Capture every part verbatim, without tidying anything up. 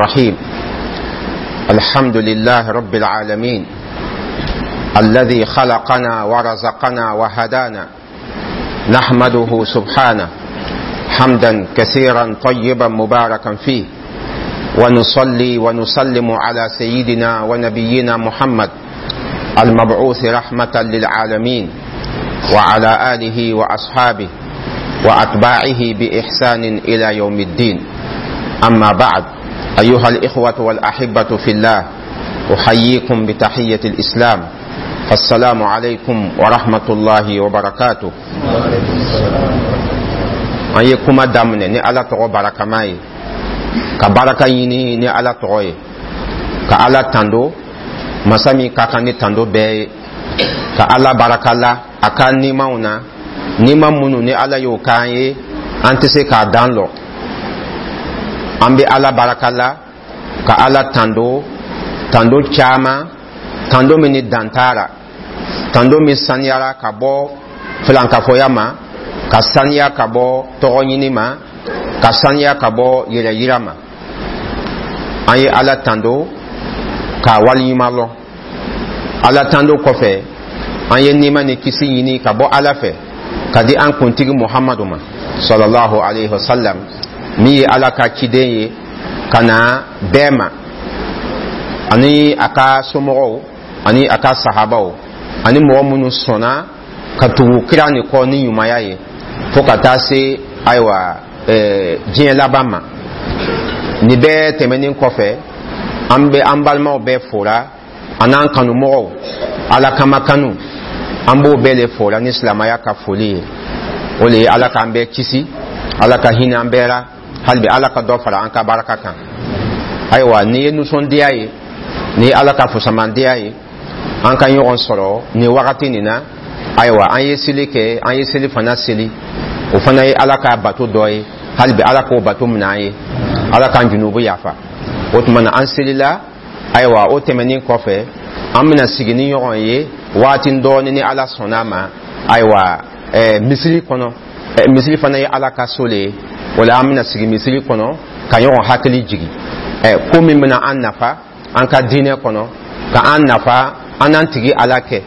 الرحيم. الحمد لله رب العالمين الذي خلقنا ورزقنا وهدانا. نحمده سبحانه حمدا كثيرا طيبا مباركا فيه، ونصلي ونسلم على سيدنا ونبينا محمد المبعوث رحمة للعالمين، وعلى آله وأصحابه وأتباعه بإحسان إلى يوم الدين. أما بعد، أيها الإخوة والأحبة في الله، أحييكم بتحية الإسلام، فالسلام عليكم ورحمة الله وبركاته. An ye kuma daminɛ ni Ala tɔgɔ barakama ye, ka baraka ɲini ni Ala tɔgɔ ye, ka Ala tando, masa min ka kan ni tando bɛɛ ye, ka Ala baraka la a ka nimaw na, nima minnu ni Ala y'o k'an ye, an tɛ se k'a dan lɔ. An bɛ Ala baraka la, ka Ala tando, tando caman, tando min ni dan t'a la, tando min saniyara ka bɔ filankafoya ma, ka saniya ka bɔ tɔgɔ ɲini ma, ka saniya ka bɔ yɛrɛyira ma. An ye Ala tando k'a waliɲuman lɔn. Ala tando kɔfɛ, an ye nima ni kisi ɲini ka bɔ Ala fɛ ka di an kuntigi Muhamadu ma, sallallahu alaihi wasallam, min ye Ala ka ciden ye ka na bɛɛ ma, ani a ka somɔgɔw, ani a ka sahabaw, ani mɔgɔ minnu sɔnna ka tugu kira nin kɔ ni ɲumanya ye fo ka taa se, ayiwa, ɛɛ diɲɛ laban ma. Nin bɛɛ tɛmɛnen kɔfɛ, an bɛ an balimaw bɛɛ fora, an'an kanumɔgɔw, Ala kama kanu, an b'o bɛɛ le fora ni silamɛya ka foli ye. O le ye Ala k'an bɛɛ kisi, Ala ka hinɛ an bɛɛ la, hali bi Ala ka dɔ fara an ka baraka kan. Ayiwa, nin ye nisɔndiya ye, nin ye Ala ka fusamandiya ye, an ka ɲɔgɔn sɔrɔ nin wagati nin na. Ayiwa, an ye seli kɛ, an ye seli fana seli, o fana ye Ala ka bato dɔ ye. Hali bi Ala k'o bato minɛ an ye, Ala k'an junubu yafa. O tuma na, an selila. Ayiwa, o tɛmɛnen kɔfɛ, an bɛna sigi ni ɲɔgɔn ye waati dɔɔni ni Ala sɔnna a ma. Ayiwa, ɛɛ misiri kɔnɔ, ɛɛ misiri fana ye Ala ka so le ye. O la, an bɛna sigi misiri kɔnɔ ka ɲɔgɔn hakili jigi ɛɛ ko min bɛna an nafa an ka diinɛ kɔnɔ, ka an nafa an n'an tigi Ala kɛ,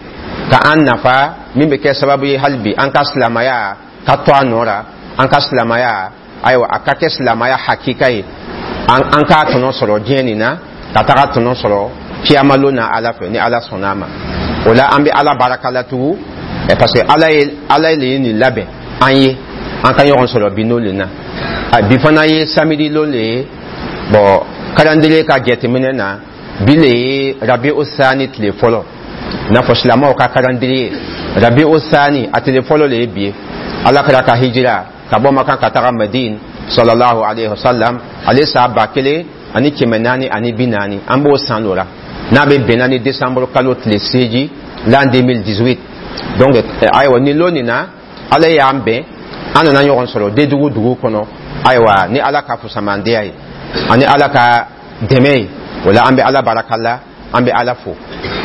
ka an nafa min bɛ kɛ sababu ye hali bi an ka silamɛya ka to a nɔ la, an ka silamɛya, ayiwa, a ka kɛ silamɛya hakika ye, an an k'a tɔnɔ sɔrɔ diɲɛ nin na, ka taga tɔnɔ sɔrɔ kiyamalon na Ala fɛ, ni Ala sɔnna a ma. O la, an bɛ Ala baraka la tugun, parce que Ala ye, Ala le ye nin labɛn an ye, an ka ɲɔgɔn sɔrɔ bi n'o le na. Bi fana ye samedi lon le ye. Bon, calendrier ka jateminɛ na, bi le ye Rabiu Sani tile fɔlɔ, i n'a fɔ silamɛw ka calendrier, Rabiu Sani a tile fɔlɔ le ye bi ye. Ala kɛra ka hijira ka bɔ Makan ka taga Madine, sallallahu alaihi wasallam, ale san ba kelen ani kɛmɛ naani ani bi naani, an b'o san dɔ la, n'a bɛ bɛnna ni décembre kalo tile seegin, l'an deux mille dix-huit. Donc ayiwa, nin lon nin na, Ala y'an bɛn, an nana ɲɔgɔn sɔrɔ Dédougou dugu kɔnɔ. Ayiwa, ni Ala ka fusamandiya ye ani Ala ka dɛmɛ ye, o la an bɛ Ala baraka la, an bɛ Ala fo.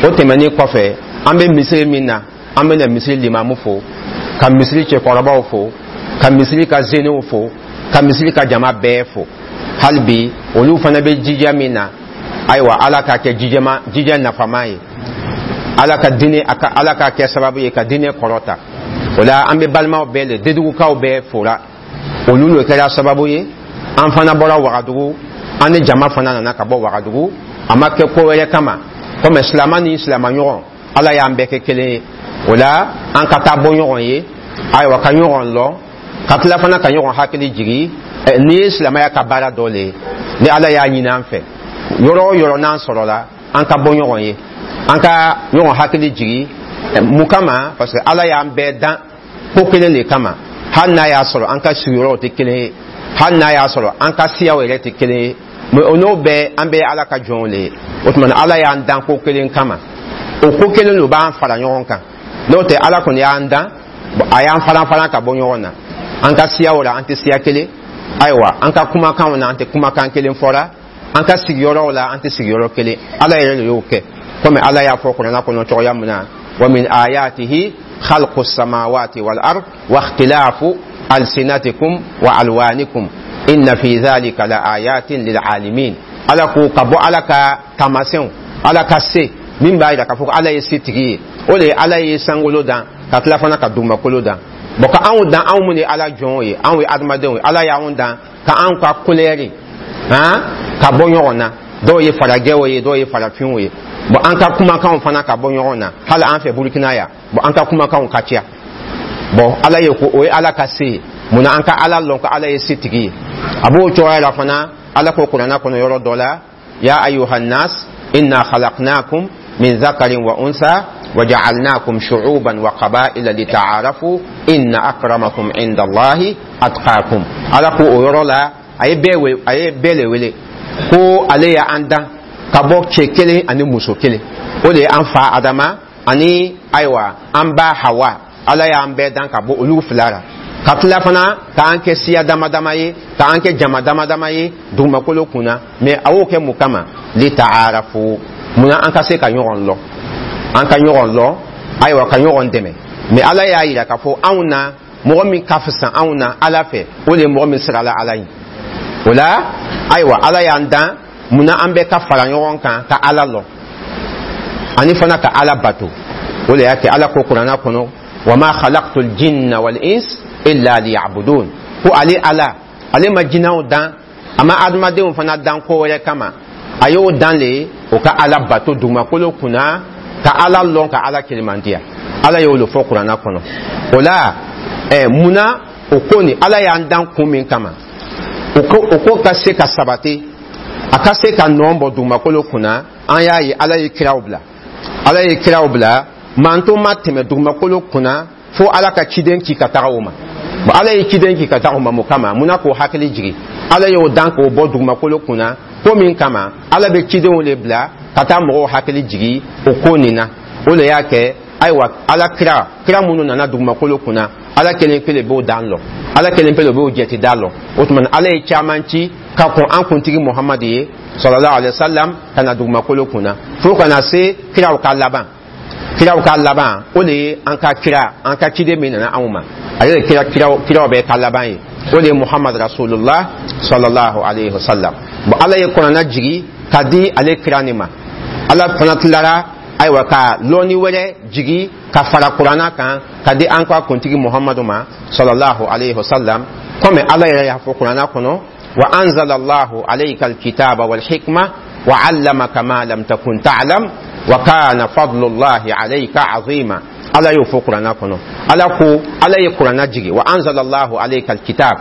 O tɛmɛnen kɔfɛ, an bɛ misiri min na, an bɛna misiri limamu fo, ka misiri cɛkɔrɔbaw fo, ka misiri ka zenew fo, ka misiri ka jama bɛɛ fo. Hali bi olu fana bɛ jija min na, ayiwa, Ala k'a kɛ jijama, jija nafama ye, Ala ka diinɛ, a ka Ala k'a kɛ sababu ye ka diinɛ kɔrɔta. O la, an bɛ balimaw bɛɛ le, Dedugukaw bɛɛ fora. Olu le kɛra sababu ye an fana bɔra Wagadugu, an ni jama fana nana ka bɔ Wagadugu. A ma kɛ ko wɛrɛ kama, komi silama ni silama ɲɔgɔn, Ala y'an bɛɛ kɛ kelen ye. O la, an ka taa bɔ ɲɔgɔn ye, ayiwa, ka ɲɔgɔn lɔn, ka tila fana ka ɲɔgɔn hakili jigi. N'i ye silamɛya ka baara dɔ le ye ni Ala y'a ɲini an fɛ, yɔrɔ o yɔrɔ n'an sɔrɔla, an ka bɔ ɲɔgɔn ye, an ka ɲɔgɔn hakili jigi. Mun kama? Parce que Ala y'an bɛɛ dan ko kelen de kama, hali n'a y'a sɔrɔ an ka sigiyɔrɔw tɛ kelen ye, hali n'a y'a sɔrɔ an ka siyaw yɛrɛ tɛ kelen ye, mais o n'o bɛɛ, an bɛɛ ye Ala ka jɔnw le ye. O tuma na, Ala y'an dan ko kelen kama, o ko kelen de b'an fara ɲɔgɔn kan. N'o tɛ, Ala kɔni y'an dan, a y'an faran faran ka bɔ ɲɔgɔn na. An ka siyaw la, an tɛ siya kelen. Ayiwa, an ka kumakanw na, an tɛ kumakan kelen fɔra. An ka sigiyɔrɔw la, an tɛ sigiyɔrɔ kelen. Ala yɛrɛ de y'o kɛ, komi Ala y'a fɔ Kuranɛ kɔnɔ cogoya min na: wa min ayatihi khalqu samawati wal ard wa ikhtilafu alsinatikum wa alwanikum inna fi dhalika la ayatin lil alimin. Ala ko ka bɔ Ala ka taamasiyɛnw, Ala ka se min b'a yira k'a fɔ ko Ala ye setigi ye, o de ye Ala ye sankolo dan, ka tila fana ka dugumakolo dan. Bɔn, ka anw dan, anw mun ye Ala jɔnw ye, anw ye adamadenw ye, Ala y'anw dan ka anw ka kulɛri han ka bɔ ɲɔgɔn na. Dɔw ye farajɛw ye, dɔw ye farafinw ye. Bɔn, an ka kumakanw fana ka bɔ ɲɔgɔn na. Hali an fɛ Burukina yan, bɔn, an ka kumakanw ka ca. Bɔn, Ala ye ko o ye Ala ka se ye. Munna an ka Ala lɔn ko Ala ye setigi ye? A b'o cogoya la fana. Ala ko Kuranna kɔnɔ yɔrɔ dɔ la: ya ayuhannas inna khalaqnakum min zakarin wa unsa وجعلناكم شعوبا وقبائل لتعارفوا إن أكرمكم عند الله أتقاكم. Ala ko o yɔrɔ la, a ye bɛɛ wele, a ye bɛɛ le wele ko ale y'an dan ka bɔ cɛ kelen ani muso kelen, o de ye an fa Adama ani ayiwa an ba Hawa. Ala y'an bɛɛ dan ka bɔ olu fila la, ka tila fana k'an kɛ siya dama dama ye, k'an kɛ jama dama dama ye dugumakolo kunna. Mɛ a y'o kɛ mun kama? Litaarafu. Munna? An ka se ka ɲɔgɔn lɔn, an ka ɲɔgɔn lɔn, ayiwa, ka ɲɔgɔn dɛmɛ. Mɛ Ala y'a yira k'a fɔ anw na, mɔgɔ min ka fisa anw na Ala fɛ, o de ye mɔgɔ min sirala Ala ye. O la, ayiwa, Ala y'an dan munna? An bɛɛ ka fara ɲɔgɔn kan ka Ala lɔn ani fana ka Ala bato. O de y'a kɛ Ala ko Kuranna kɔnɔ: wa ma khalaqtul jinna wal ins illa liya'budun. Ko ale Ala, ale ma jinɛw dan, a ma adamadenw fana dan ko wɛrɛ kama, a y'o dan le o ka Ala bato dugumakolo kunna, ka Ala lɔn, ka Ala kelemandiya. Ala y'o le fɔ Kuranna kɔnɔ. O la, ɛ munna o ko nin, Ala y'an dan kun min kama, o ko o ko ka se ka sabati, a ka se ka nɔ bɔ dugumakolo kunna, an y'a ye Ala ye kiraw bila. Ala ye kiraw bila. Manto ma tɛmɛ dugumakolo kunna fo Ala ka ciden ci ka taga o ma. Bon, Ala ye ciden ci ka taga o ma mun kama? Munna? K'o hakili jigi, Ala y'o dan k'o bɔ dugumakolo kunna ko min kama, Ala bɛ cidenw le bila ka taa mɔgɔw hakili jigi o ko nin na. O de y'a kɛ, ayiwa, Ala kira kira minnu nana dugumakolo kunna, Ala kelen pe le b'o dan lɔ, Ala kelen pe le b'o jɛti da lɔ. O tuma, Ala ye caman ci ka kɔn an kuntigi Muhamadu ye sallallahu alaihi wa sallam ka na dugumakolo kunna, fo ka na se kiraw ka laban. Kiraw ka laban, o de ye an ka kira, an ka ciden min nana anw ma, ale de kira kiraw kiraw bɛɛ ka laban ye, o de ye Muhamadu rasulullah sallallahu alaihi wa sallam. Bon, Ala ye Kuranna jigi ka di ale kira nin ma. Ala fana tilara, ayiwa, ka lɔnni wɛrɛ jigi ka fara Kuranna kan ka di an ka kuntigi Muhamadu ma sallallahu alaihi wa sallam, komi Ala yɛrɛ y'a fɔ Kuranna kɔnɔ: wa anzala Allahu alayka alkitaba wal hikma wa allamaka ma lam takun ta'lam wa kana fadlullahi alayka azima. Ala y'o fɔ Kuranna kɔnɔ. Ala ko Ala ye Kuranna jigi, wa anzala Allahu alayka alkitab,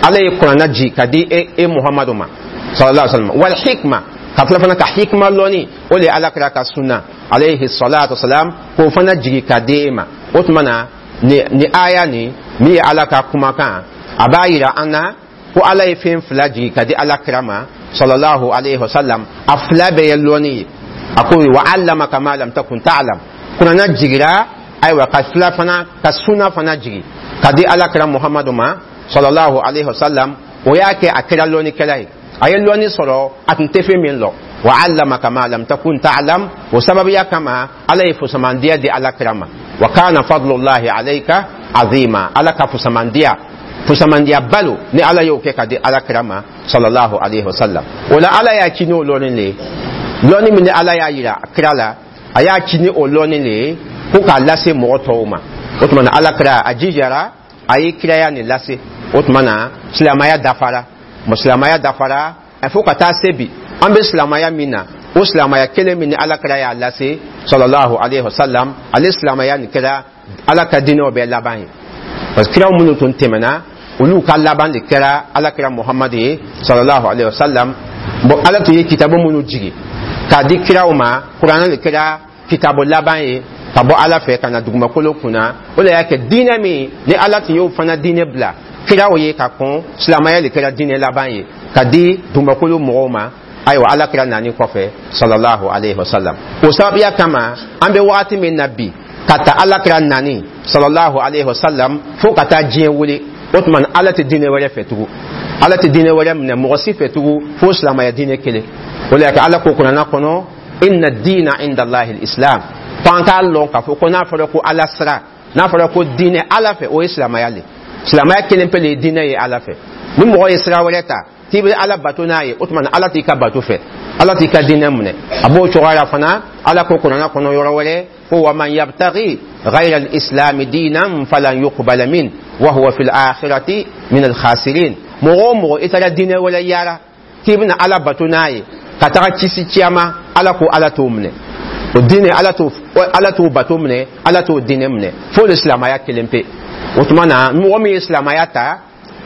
Ala ye Kuranna jigi ka di e, e Muhamadu ma sallallahu alaihi wa sallam, wal hikma, ka tila fana ka hikma lɔnni, o de ye Ala kira ka sunna alayhi salatu wasalam, k'o fana jigi ka di e ma. O tuma na, ni ni aya nin min ye Ala ka kumakan, a b'a yira an na ko Ala ye fɛn fila jigi ka di Ala kira ma sallallahu alaihi wasallam. A fila bɛɛ ye lɔnni ye. A ko wa allamaka ma lam takun ta'lam. Kuranna jigira, ayiwa, ka fila fana ka sunna fana jigi ka di Ala kira Muhamadu ma sallallahu alaihi wasallam. O y'a kɛ a kɛra lɔnnikɛla ye, a ye lɔnni sɔrɔ a tun tɛ fɛn min lɔn. Wa allamaka ma lam takun ta'lam, o sababuya kama Ala ye fusamandiya di Ala kira ma. Wa kana fadlullahi alayka azima. Ala ka fusamandiya, fusamandiya balo ni Ala y'o kɛ ka di Ala kira ma sallallahu alaihi wasallam. O la, Ala y'a ci n'o lɔnni le ye. Lɔnni min ni Ala y'a yira kira la, a y'a ci ni o lɔnni le ye ko k'a lase mɔgɔ tɔw ma. O tuma na, Ala kira a jijara, a ye kiraya nin lase. O tuma na, silamɛya dafara, silamɛya dafara fo ka taa se bi. An bɛ silamɛya min na, o silamɛya kelen min ni Ala kira y'a lase sallallahu alaihi wasallam, ale silamɛya nin kɛra Ala ka diinɛw bɛɛ laban ye, parce que kiraw minnu tun tɛmɛna, olu ka laban de kɛra Ala kira Muhamadu ye sallallahu alaihi wasallam. Bon, Ala tun ye kitabu minnu jigi k'a di kiraw ma, Kuranɛ de kɛra kitabu laban ye ka bɔ Ala fɛ ka na dugumakolo kunna. O de y'a kɛ diinɛ min ni Ala tun y'o fana diinɛ bila kiraw ye ka kɔn, silamɛya de kɛra diinɛ laban ye ka di dugumakolo mɔgɔw ma, ayiwa, Ala kira nani kɔfɛ sallallahu alaihi wasallam. O sababuya kama, an bɛ wagati min na bi, ka ta Ala kira nani sallallahu alaihi wasallam fo ka taa diɲɛ wuli, o tuma Ala tɛ diinɛ wɛrɛ fɛ tugun, Ala tɛ diinɛ wɛrɛ minɛ mɔgɔ si fɛ tugun fo silamɛya diinɛ kelen. O de y'a kɛ Ala ko Kuranna kɔnɔ: inna diina inda Allahi islam. Ko an k'a lɔn k'a fɔ ko n'a fɔra ko Ala sira, n'a fɔra ko diinɛ Ala fɛ, o ye silamɛya le. Silamɛya kelen pe le ye diinɛ ye Ala fɛ. Ni mɔgɔ ye sira wɛrɛ ta k'i bɛ Ala bato n'a ye, o tuma na Ala t'i ka bato fɛ, Ala t'i ka diinɛ minɛ. A b'o cogoya la fana. Ala ko Kuranɛ kɔnɔ yɔrɔ wɛrɛ ko: wa man yabtaghi ghayra al-islami diinan falan yuqbala min wa huwa fil akhirati min al-khasirin. Mɔgɔ o mɔgɔ i taara diinɛ wɛrɛ yaara k'i bɛna Ala bato n'a ye ka taga kisi ciyama, Ala ko Ala t'o minɛ, o diinɛ Ala t'o Ala t'o bato minɛ, Ala t'o diinɛ minɛ, fo le silamɛya kelen pe. O tuma na, mɔgɔ min ye silamɛya ta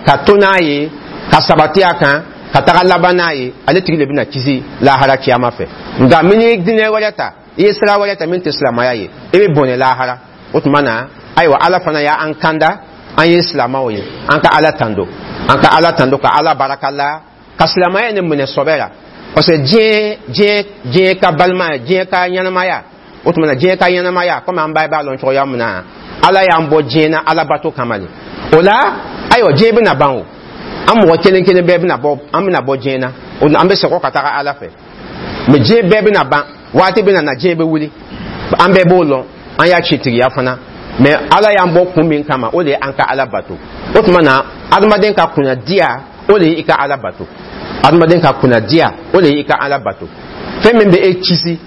ka to n'a ye, ka sabati a kan, ka taga laban n'a ye, ale tigi de bɛna kisi lahara ciyama fɛ. Nka min ye diinɛ wɛrɛ ta, i ye sira wɛrɛ ta min tɛ silamɛya ye, i bɛ bɔnɛ lahara. O tuma na, ayiwa, Ala fana y'an kanda, an ye silamɛw ye, an ka Ala tando, an ka Ala tando, ka Ala baraka la, ka silamɛya nin minɛ sɔbɛ la, parce que diɲɛ diɲɛ diɲɛ ka balimaya, diɲɛ ka ɲɛnamaya, o tuma na diɲɛ ka ɲɛnamaya, komi an bɛɛ b'a lɔn cogoya min na, Ala y'an bɔ diɲɛ na alabato kama de. O la, ayiwa, diɲɛ bɛna ban o, an mɔgɔ kelen kelen bɛɛ bɛna bɔ, an bɛna bɔ diɲɛ na, an bɛ segin ka taga Ala fɛ. Mɛ diɲɛ bɛɛ bɛna ban, waati bɛna na, diɲɛ bɛ wuli, an bɛɛ b'o lɔn, an y'a citigiya fana. Mɛ Ala y'an bɔ kun min kama, o de ye an ka Ala bato. O tuma na, adamaden ka kunnadiya, o de ye i ka Ala bato. Adamaden ka kunnadiya, o de ye i ka Ala bato. Fɛn min bɛ e kisi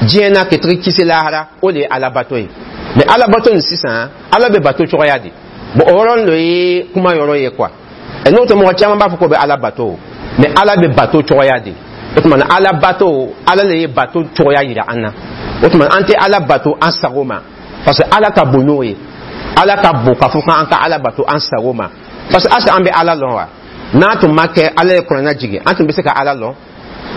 diɲɛ na ka tigi kisi lahara, o de ye Ala bato ye. Mɛ Ala bato nin sisan, Ala bɛ bato cogoya di? Bon, o yɔrɔnin dɔ ye kuma yɔrɔ ye quoi. N'o tɛ, mɔgɔ caman b'a fɔ k'o bɛ Ala bato, mɛ Ala bɛ bato cogoya di? O tuma na, Ala bato, Ala de ye bato cogoya yira an na. O tuma, an tɛ Ala bato an sago ma, parce que Ala ka bon n'o ye. Ala ka bon k'a fɔ k'an ka Ala bato an sago ma, parce que asa an bɛ Ala lɔn wa? N'a tun ma kɛ Ala ye Kuranɛ jigin, an tun bɛ se ka Ala lɔn?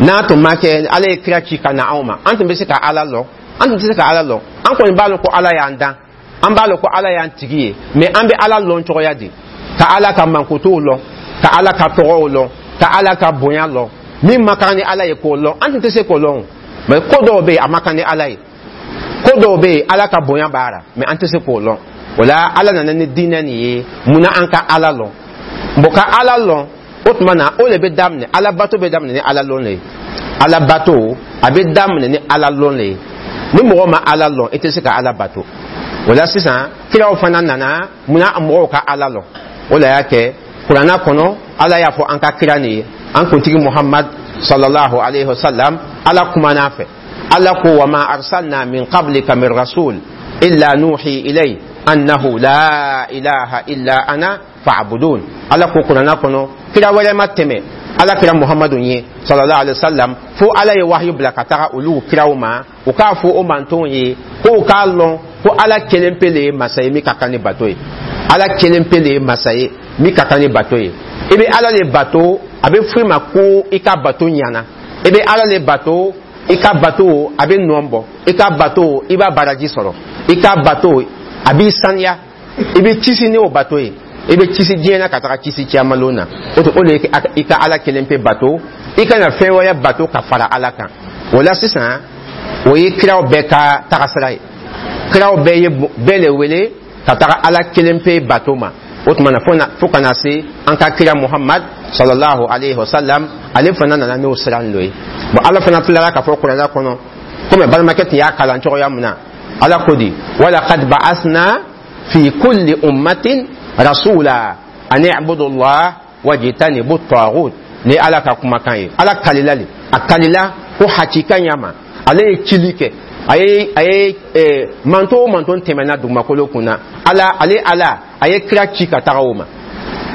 N'a tun ma kɛ Ala ye kira ci ka na anw ma, an tun bɛ se ka Ala lɔn? An tun tɛ se ka Ala lɔn. An kɔni b'a lɔn ko Ala y'an dan, an b'a lɔn ko Ala y'an tigi ye, mɛ an bɛ Ala lɔn cogoya di? Ka Ala ka mankutuw lɔn, ka Ala ka tɔgɔw lɔn, ka Ala ka bonya lɔn, min ma kan ni Ala ye k'o lɔn, an tun tɛ se k'o lɔn. Mɛ ko dɔw bɛ yen, a ma kan ni Ala ye, ko dɔw bɛ yen, Ala ka bonya b'a la, mɛ an tɛ se k'o lɔn. O la, Ala nana ni diinɛ nin ye munna? An ka Ala lɔn. Bon, ka Ala lɔn, o tuma na, o de bɛ daminɛ, Ala bato bɛ daminɛ ni Ala lɔn de ye. Ala bato, a bɛ daminɛ ni Ala lɔn de ye. Ni mɔgɔ ma Ala lɔn, i tɛ se ka Ala bato. O la sisan, kiraw fana nana munna? Mɔgɔw ka Ala lɔn. O de y'a kɛ Kuranna kɔnɔ, Ala y'a fɔ an ka kira nin ye, an kuntigi Muhammad sallallahu alaihi wasallam, Ala kumana fɛ, Ala ko: wa ma arsalna min qablika min rasul illa nuhi ilay annahu la ilaha illa ana fa'budun. Ala ko Kuranna kɔnɔ, kira wɛrɛ ma tɛmɛ Ala kira Muhammadu ye sallallahu alaihi wasallam, fo Ala ye wahyu bila ka taga olu kiraw ma, u k'a fɔ o mantonw ye ko u k'a lɔn ko Ala kelen pe le ye masa ye min ka kan ni bato ye. Ala kelen pe le ye masa ye min ka kan ni bato ye. I bɛ Ala le bato, a bɛ fɔ i ma ko i ka bato ɲana. I bɛ Ala le bato, i ka bato a bɛ nɔ bɔ, i ka bato i b'a baraji sɔrɔ, i ka bato a b'i saniya, i bɛ kisi ni o bato ye, i bɛ kisi diɲɛ na ka taga kisi ciyamalon na. O to, o de ye i ka Ala kelen pe bato, i kana fɛn wɛrɛ bato ka fara Ala kan. O la sisan, o ye kiraw bɛɛ ka tagasira ye. Kiraw bɛɛ ye bɛɛ le wele ka taga Ala kelen pe bato ma. O tuma na, fo ka na se an ka kira Muhammad sallallahu alaihi wasallam, ale fana nana n'o sira nin ye. Bon, Ala fana tilara k'a fɔ Kuranɛ kɔnɔ, komi balimakɛ tun y'a kalan cogoya min na, Ala ko di: walaqad ba'athna fi kulli ummatin rasula an i'budu Allah wajtanibu at-taghut. Ni Ala ka kumakan ye, Ala kalila le, a kalila ko hakika ɲama ale ye cili kɛ, a ye a ye eh, manto o manto tɛmɛna dugumakolo kunna, Ala, ale Ala a ye kira ci ka taga o ma,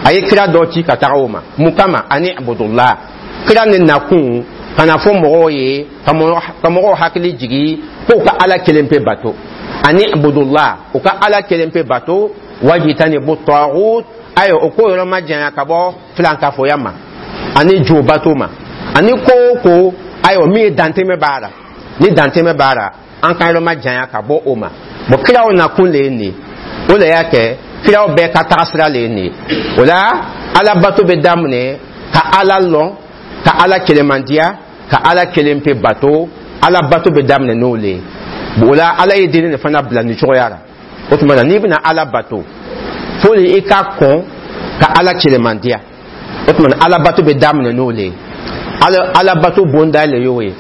a ye kira dɔ ci ka taga o ma. Mun kama? Ani abudullah, kira ni nakun ka na fɔ mɔgɔw ye, ka mɔgɔw hakili jigi k'u ka Ala kelen pe bato. Ani abudullah, u ka Ala kelen pe bato, wajitanibu taghut, ayiwa, o ko yɔrɔ ma janya ka bɔ filankafoya ma ani jo bato ma ani ko o ko, ayiwa, min ye dantɛmɛ b'a la, ni dantɛmɛ b'a la, an ka yɔrɔ ma janya ka bɔ o ma. Bon, kiraw nakun de ye nin ye. O de y'a kɛ kiraw bɛɛ ka tagasira de ye nin ye. O la, Ala bato bɛ daminɛ ka Ala lɔn, ka Ala kelemandiya, ka Ala kelen pe bato. Ala bato bɛ daminɛ n'o le ye. O la, Ala ye diinɛ de fana bila nin cogoya la. O tuma na, n'i bɛna Ala bato, fo de i ka kɔn ka Ala kelemandiya. O tuma na, Ala bato bɛ daminɛ n'o le ye. Ala Ala bato bonda le y'o ye,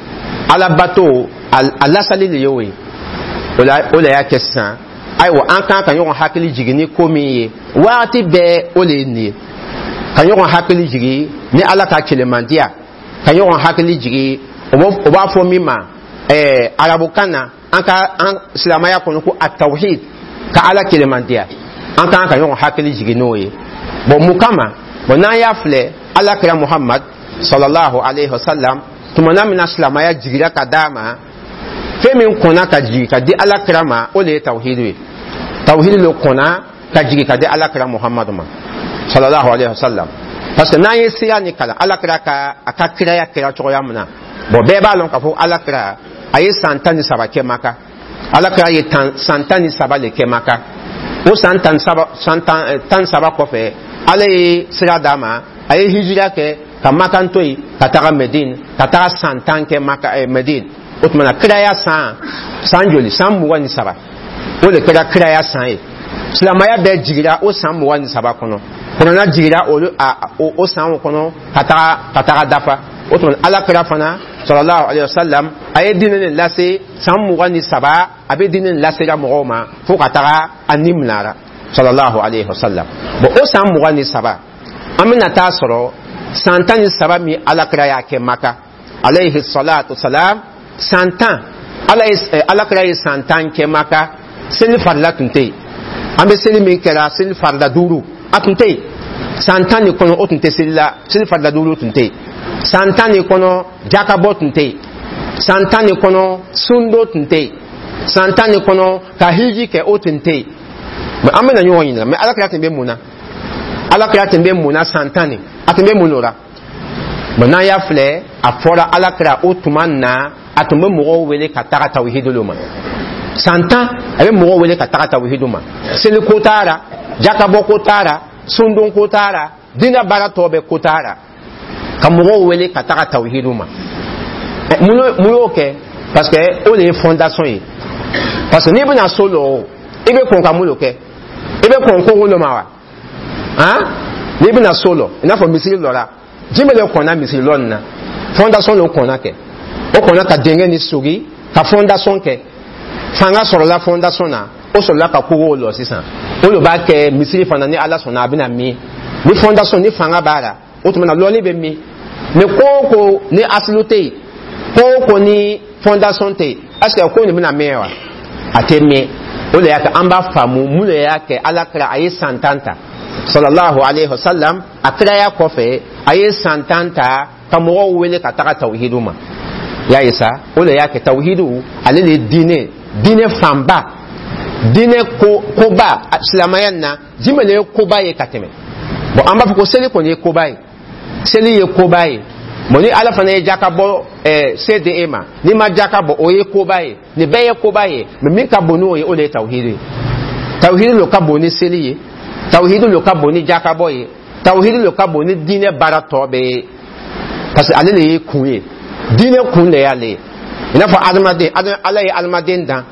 Ala bato a lasali le y'o ye. O la, o de y'a kɛ sisan, ayiwa, an kan ka ɲɔgɔn hakili jigin ni ko min ye waati bɛɛ, o de ye nin ye. Ka ɲɔgɔn hakili jigi ni Ala ka kelemandiya, ka ɲɔgɔn hakili jigi, o b'a fɔ min ma ɛɛ arabukan na, an ka an silamɛya kɔnɔ, ko atawhid, ka Ala kelemandiya. An kan ka ɲɔgɔn hakili jigi n'o ye. Bon, mun kama? Bon, n'an y'a filɛ, Ala kira Muhammad sallallahu alayhi wa sallam, tuma min na silamɛya jigira ka d'a ma, fɛn min kɔnna ka jigin ka di Ala kira ma, o de ye tawhidu ye. Tawhidu le kɔnna ka jigin ka di Ala kira Muhammadu ma sallallahu alayhi wa sallam, parce que n'an ye sira ni kalan, Ala kira ka a ka kiraya kɛra cogoya min na, bon, bɛɛ b'a lɔn k'a fɔ Ala kira a ye san tan ni saba kɛ Maka. Ala kira ye tan san tan ni saba le kɛ Maka. O san tan saba san tan tan saba kɔfɛ, Ala ye sira d'a ma, a ye hijira kɛ ka Maka to yen ka taga Medine, ka taga san tan kɛ Maka, eh, Medine. O tuma na, kiraya san san joli? San mugan ni saba, o de kɛra kiraya san ye. Silamɛya bɛɛ jigira o san mugan ni saba kɔnɔ. Kuranna jigira olu a o, o sanw kɔnɔ ka taga ka taga dafa. O tuma, Ala kira fana sallallahu alayhi wa sallam, a ye diinɛ nin lase san mugan ni saba. A bɛ diinɛ nin lasera mɔgɔw ma fo ka taga a ni minara sallallahu alayhi wa sallam. Bon, o san mugan ni saba, an bɛna taa sɔrɔ san tan ni saba min Ala kira y'a kɛ Maka alayhi salatu salam, san tan, Ala ye, Ala kira ye san tan kɛ Maka, seli farila tun tɛ yen. An bɛ seli min kɛra, seli farila duuru, a tun tɛ yen san tan nin kɔnɔ. O tun tɛ seli la, seli farila duuru tun tɛ yen san tan nin kɔnɔ. Jakabɔ tun tɛ yen san tan nin kɔnɔ. Sundo tun tɛ yen san tan nin kɔnɔ. Ka hiji kɛ, o tun tɛ yen. Mɛ an bɛna ɲɔgɔn ɲininka: mɛ Ala kira tun bɛ mun na? Ala kira tun bɛ mun na san tan nin? A tun bɛ mun o la? Mɛ n'an y'a filɛ, a fɔra Ala kira o tuma na, a tun bɛ mɔgɔw wele ka taga tawhidu ma. San tan, a bɛ mɔgɔw wele ka taga tawhidu ma. Seli ko t'a la, jakabɔ ko t'a la, sundon ko t'a la, diinɛ baara tɔ bɛɛ ko t'a la, ka mɔgɔw wele ka taga tawhidu ma. Mun y'o kɛ? Parce que o de ye fondation ye. Parce que n'i bɛna so lɔ o, i bɛ kɔn ka mun de kɛ? I bɛ kɔn kogo dɔ ma wa? Han, n'i bɛna so lɔ, i n'a fɔ misiri lɔ la, jumɛn de kɔnna misiri lɔ nin na? Fondation de kɔnna kɛ. O kɔnna ka dingɛ ni sogi ka fondation kɛ. Fanga sɔrɔla fondation na, o sɔrɔla ka kogow lɔ. Sisan, o de b'a kɛ misiri fana, ni Ala sɔnna, a bɛna min ni fondation ni fanga b'a la, o tuma na lɔnni bɛ min. Mɛ ko o ko ni asilu tɛ yen, ko o ko ni fondation tɛ yen, est ce que ko nin bɛna mɛn wa? A tɛ mɛn. O de y'a kɛ an b'a faamu mun de y'a kɛ Ala kira a ye san tan ta sallallahu alayhi wa sallam. A kiraya kɔfɛ, a ye san tan ta ka mɔgɔw wele ka taga tawhidu ma. Y'a ye sa, o de y'a kɛ tawhidu ale de ye diinɛ diinɛ fanba, diinɛ ko koba silamɛya na. Jumɛn de ye koba ye ka tɛmɛ? Bon, an b'a fɔ ko seli kɔni ye koba ye, seli ye koba ye. Bon, ni Ala fana ye jaka bɔ ɛɛ se di e ma, n'i ma jaka bɔ, o ye koba ye. Nin bɛɛ ye koba ye, mɛ min ka bon n'o ye, o de ye tawhidu ye. Tawhidu lo ka bon ni seli ye, tawhidu lo ka bon ni jakabɔ ye, tawhidu lo ka bon ni diinɛ baara tɔ bɛɛ ye, parce que ale de ye kun ye, diinɛ kun de y'ale ye. I n'a fɔ adamaden, Ala ye adamaden dan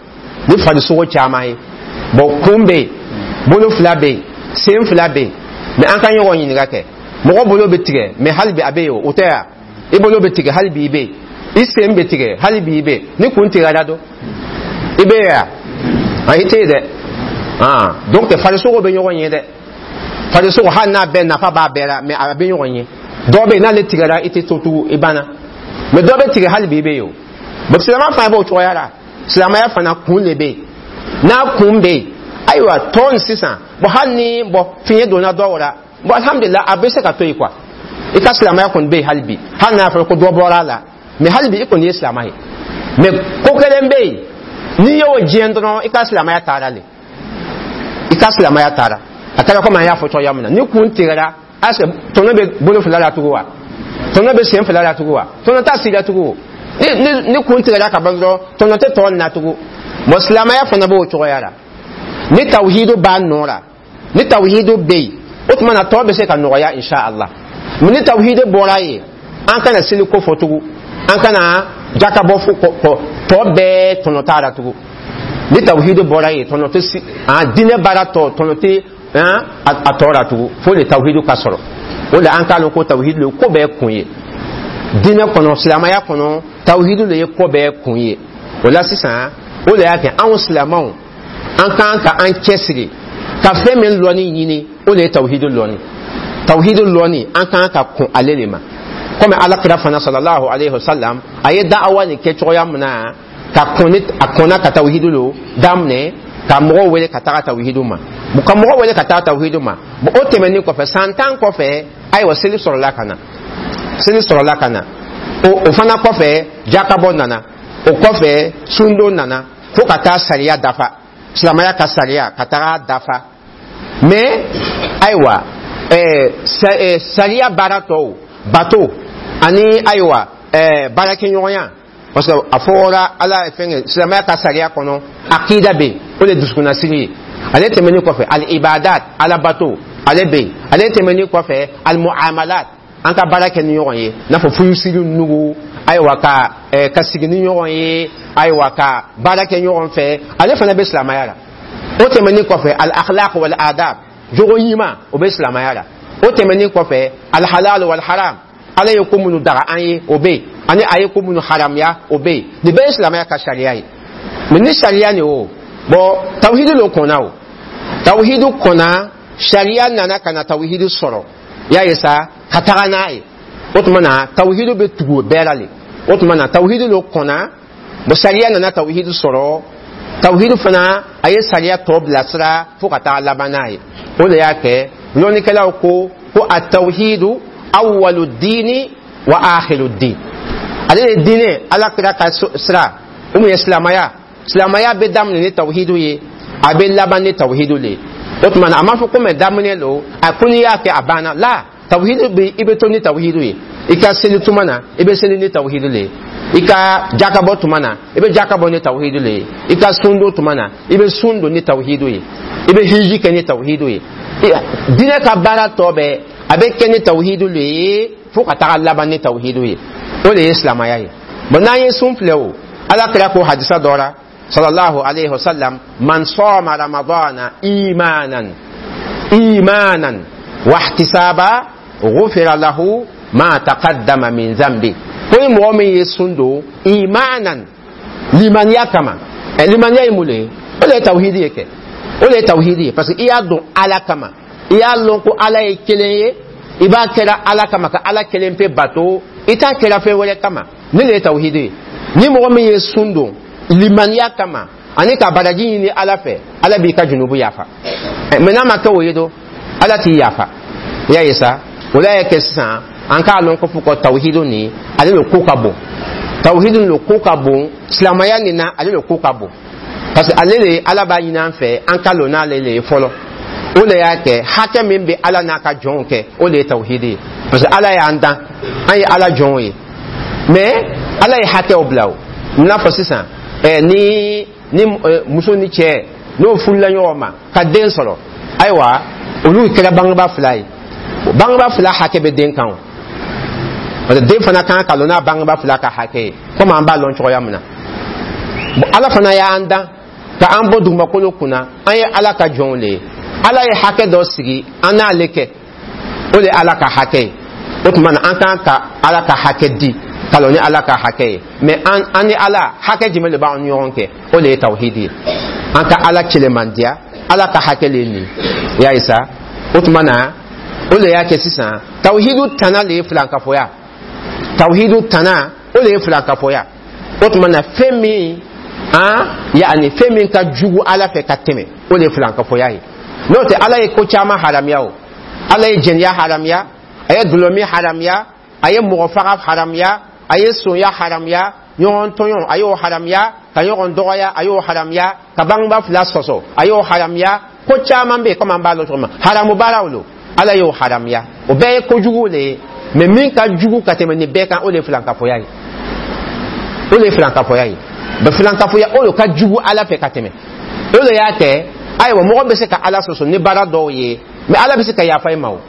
ni farisogo caman ye. Bon, kun bɛ yen, bolo fila bɛ yen, sen fila bɛ yen. Mɛ an ka ɲɔgɔn ɲininka kɛ: mɔgɔ bolo bɛ tigɛ, mɛ hali bi a bɛ yen o, o tɛ yan? I bolo bɛ tigɛ, hali bi i bɛ yen. I sen bɛ tigɛ, hali bi i bɛ yen. Ni kun tigɛra don, i bɛ yen yan? A i tɛ yen dɛ. Ah, donc farisogo bɛ ɲɔgɔn ye dɛ. Farisogo, hali n'a bɛɛ nafa b'a bɛɛ la, mɛ a bɛ ɲɔgɔn ye. Dɔ bɛ yen, n'ale tigɛra, i tɛ to tugun, i banna. Mɛ dɔ bɛ tigɛ, hali bi i bɛ yen o. Bon, silamɛya fana b'o cogoya la. Silamɛya fana kun de bɛ yen. N'a kun bɛ yen, ayiwa, tɔ nin sisan, bon, hali ni, bon, fiɲɛ donna dɔw la, bon, alhamdulilah, a bɛ se ka to yen quoi. I ka silamɛya kɔni bɛ yen hali bi, hali n'a fɔra ko dɔ bɔra a la, mɛ hali bi i kɔni ye silamɛ ye. Mɛ ko kelen bɛ yen, n'i y'o diɲɛ dɔrɔn, i ka silamɛya taara le, i ka silamɛya taara. A kɛra komi an y'a fɔ cogoya min na, ni kun tigɛra, est ce que tɔnɔ bɛ bolo fila la tugun wa? Tɔnɔ bɛ sen fila la tugun wa? Tɔnɔ t'a si la tugun. ni ni ni kun tigɛra ka ban dɔrɔn, tɔnɔ tɛ tɔ na tugun. Bon, silamɛya fana b'o cogoya la. Ni tawhidu b'a nɔ la, ni tawhidu bɛ yen, o tuma na tɔ bɛ se ka nɔgɔya insha Allah. Mɛ ni tawhidu bɔra yen, an kana seli ko fɔ tugun, an kana jakabɔ fo kɔ, tɔ bɛɛ tɔnɔ t'a la tugun. Ni tawhidu bɔra yen, tɔnɔ tɛ si an diinɛ baara tɔ, tɔnɔ tɛ a tɔ la tugun, fo le tawhidu ka sɔrɔ. O de an k'a lɔn ko tawhidu le ko bɛɛ kun ye diinɛ kɔnɔ, silamɛya kɔnɔ, tawhidu le ye ko bɛɛ kun ye. O la sisan, o de y'a kɛ anw silamɛw, an kan ka an cɛsiri ka fɛn min lɔnni ɲini, o de ye tawhidu lɔnni. Tawhidu lɔnni, an kan ka kɔn ale de ma, komi Ala kira fana sallallahu alaihi wasallam a ye da'awa nin kɛ cogoya min na, ka kɔn ni a kɔnna ka tawhidu lo daminɛ, ka mɔgɔw wele ka taga tawhidu ma, ka mɔgɔw wele ka taga tawhidu ma. Bon, o tɛmɛnen kɔfɛ, san tan kɔfɛ, ayiwa, seli sɔrɔla ka na, seli sɔrɔla ka na. o o fana kɔfɛ, jakabɔ nana. O kɔfɛ, sundon nana, fo ka taa sariya dafa, silamɛya ka sariya ka taga dafa. Mais ayiwa, ɛɛ sariya baara tɔw, bato ani ayiwa ɛɛ baarakɛɲɔgɔnya, parce que a fɔra Ala ye fɛn kɛ silamɛya ka sariya kɔnɔ, akida bɛ yen, o de ye dusukunnasiri ye. Ale tɛmɛnen kɔfɛ, al ibadat, Ala bato, ale bɛ yen. Ale tɛmɛnen kɔfɛ, al muamalat, an ka baara kɛ ni ɲɔgɔn ye, n'a fɔ furusiri nugu, ayiwa, ka ɛɛ ka sigi ni ɲɔgɔn ye, ayiwa, ka baara kɛ ɲɔgɔn fɛ, ale fana bɛ silamɛya la. O tɛmɛnen kɔfɛ, al akhlaq wal adab, jogo ɲuman, o bɛ silamɛya la. O tɛmɛnen kɔfɛ, al halal wal haram, Ala ye ko minnu daga an ye, o bɛ yen, ani a ye ko minnu haramuya, o bɛ yen. Nin bɛɛ ye silamɛya ka sariya ye. Mais ni sariya nin o bon, tawhidu lo kɔnna, o tawhidu kɔnna, sariya nana ka na tawhidu sɔrɔ, i y'a ye sa, ka taga n'a ye. O tuma na, tawhidu bɛ tugu o bɛɛ la le. O tuma na, tawhidu lo kɔnna. Bon, sariya nana tawhidu sɔrɔ, tawhidu fana a ye sariya tɔ bilasira fo ka taa laban n'a ye. O de y'a kɛ lɔnnikɛlaw ko ko a tawhidu awwalu diini wa akhiru din. Ale de diinɛ, Ala kira ka sira o mun ye silamɛya. Silamɛya bɛ daminɛ ni tawhidu ye, a bɛ laban ni tawhidu le ye. O tuma na, a m'a fɔ ko mɛ daminɛ lo, a ko n'i y'a kɛ, a banna la. Tawhidu bɛ, i bɛ to ni tawhidu ye. I ka seli tuma na, i bɛ seli ni tawhidu le ye. I ka jakabɔ tuma na, i bɛ jakabɔ ni tawhidu le ye. I ka sun don tuma na, i bɛ sun don ni tawhidu ye. I bɛ hiji kɛ ni tawhidu ye. Diinɛ ka baara tɔ bɛɛ, a bɛ kɛ ni tawhidu le ye fo ka taga laban ni tawhidu ye. O de ye silamɛya ye. Bon, n'an ye sun filɛ, o Ala kira ko hadisa dɔ la sallallahu alayhi wa sallam: man sɔma ramadana imanan imanan wahtisaba ghufira lahu ma taqaddama min zambi. Ko ni mɔgɔ min ye sun don imanan, limaniya kama. Ɛ, limaniya ye mun de ye? O de ye tawhidi ye kɛ, o de ye tawhidi ye, parce que i y'a dɔn Ala kama, i y'a lɔn ko Ala ye kelen ye, i b'a kɛra Ala kama ka Ala kelen pe bato, i t'a kɛra fɛn wɛrɛ kama. Ne de ye tawhidi ye. Ni mɔgɔ min ye sun don limaniya kama ani ka baraji ɲini Ala fɛ, Ala b'i ka junubu yafa. Mais n'a ma kɛ o ye don, Ala t'i yafa. I y'a ye sa, o la y'a kɛ sisan, an k'a lɔn ko fo ko tawhidu nin, ale le ko ka bon. Tawhidu le ko ka bon silamɛya nin na, ale le ko ka bon, parce que ale le Ala b'a ɲini an fɛ an ka lɔn n'ale le ye fɔlɔ. O de y'a kɛ hakɛ min bɛ Ala n'a ka jɔnw kɛ, o de ye tawhidi ye, parce que Ala y'an dan, an ye Ala jɔnw ye, mais Ala ye hakɛw bila. O n'a fɔ sisan, ɛ ni ni muso ni cɛ n'o furula ɲɔgɔn ma ka den sɔrɔ, ayiwa, olu kɛra bangebaa fila ye. Bangebaa fila hakɛ bɛ den kan o, parce que den fana kan ka lɔn n'a bangebaa fila ka hakɛ ye, komi an b'a lɔn cogoya min na. Bon, Ala fana y'an dan ka an bɔ dugumakolo kunna, an ye Ala ka jɔnw de ye. Ala ye hakɛ dɔ sigi an n'ale kɛ, o de ye Ala ka hakɛ ye. O tuma na, an kan ka Ala ka hakɛ di ka lɔn ni Ala ka hakɛ ye. Mais an an ni Ala hakɛ jumɛn de b'an ni ɲɔgɔn kɛ? O de ye tawhidi ye. An ka Ala cɛlɛmandiya, Ala ka hakɛ le ye nin, i y'a ye sa. O tuma na, o de y'a kɛ sisan, tawhidu tana le ye filankafoya. Tawhidu tana, o de ye filankafoya. O tuma na, fɛn min an yaani fɛn min ka jugu Ala fɛ ka tɛmɛ, o de ye filankafoya ye. N'o tɛ, Ala ye ko caman haramuya. O Ala ye jɛnɛya haramuya, a ye dɔlɔmin haramuya, a ye mɔgɔ faga haramuya, a ye sonya haramuya, ɲɔgɔn tɔɲɔ, a y'o haramuya, ka ɲɔgɔn dɔgɔya, a y'o haramuya, ka bangebaa fila sɔsɔ, a y'o haramuya. Ko caman bɛ yen, komi an b'a lɔn cogo min, haramu baaraw lo, Ala y'o haramuya. O bɛɛ ye kojugu de ye. Mais min ka jugu ka tɛmɛ nin bɛɛ kan, o de ye filankafoya ye, o de ye filankafoya ye. Bɛ filankafoya, o de ka jugu Ala fɛ ka tɛmɛ. O de y'a kɛ, ayiwa, mɔgɔ bɛ se ka Ala sɔsɔ ni baara dɔw ye, mais Ala bɛ se ka yafa i ma. O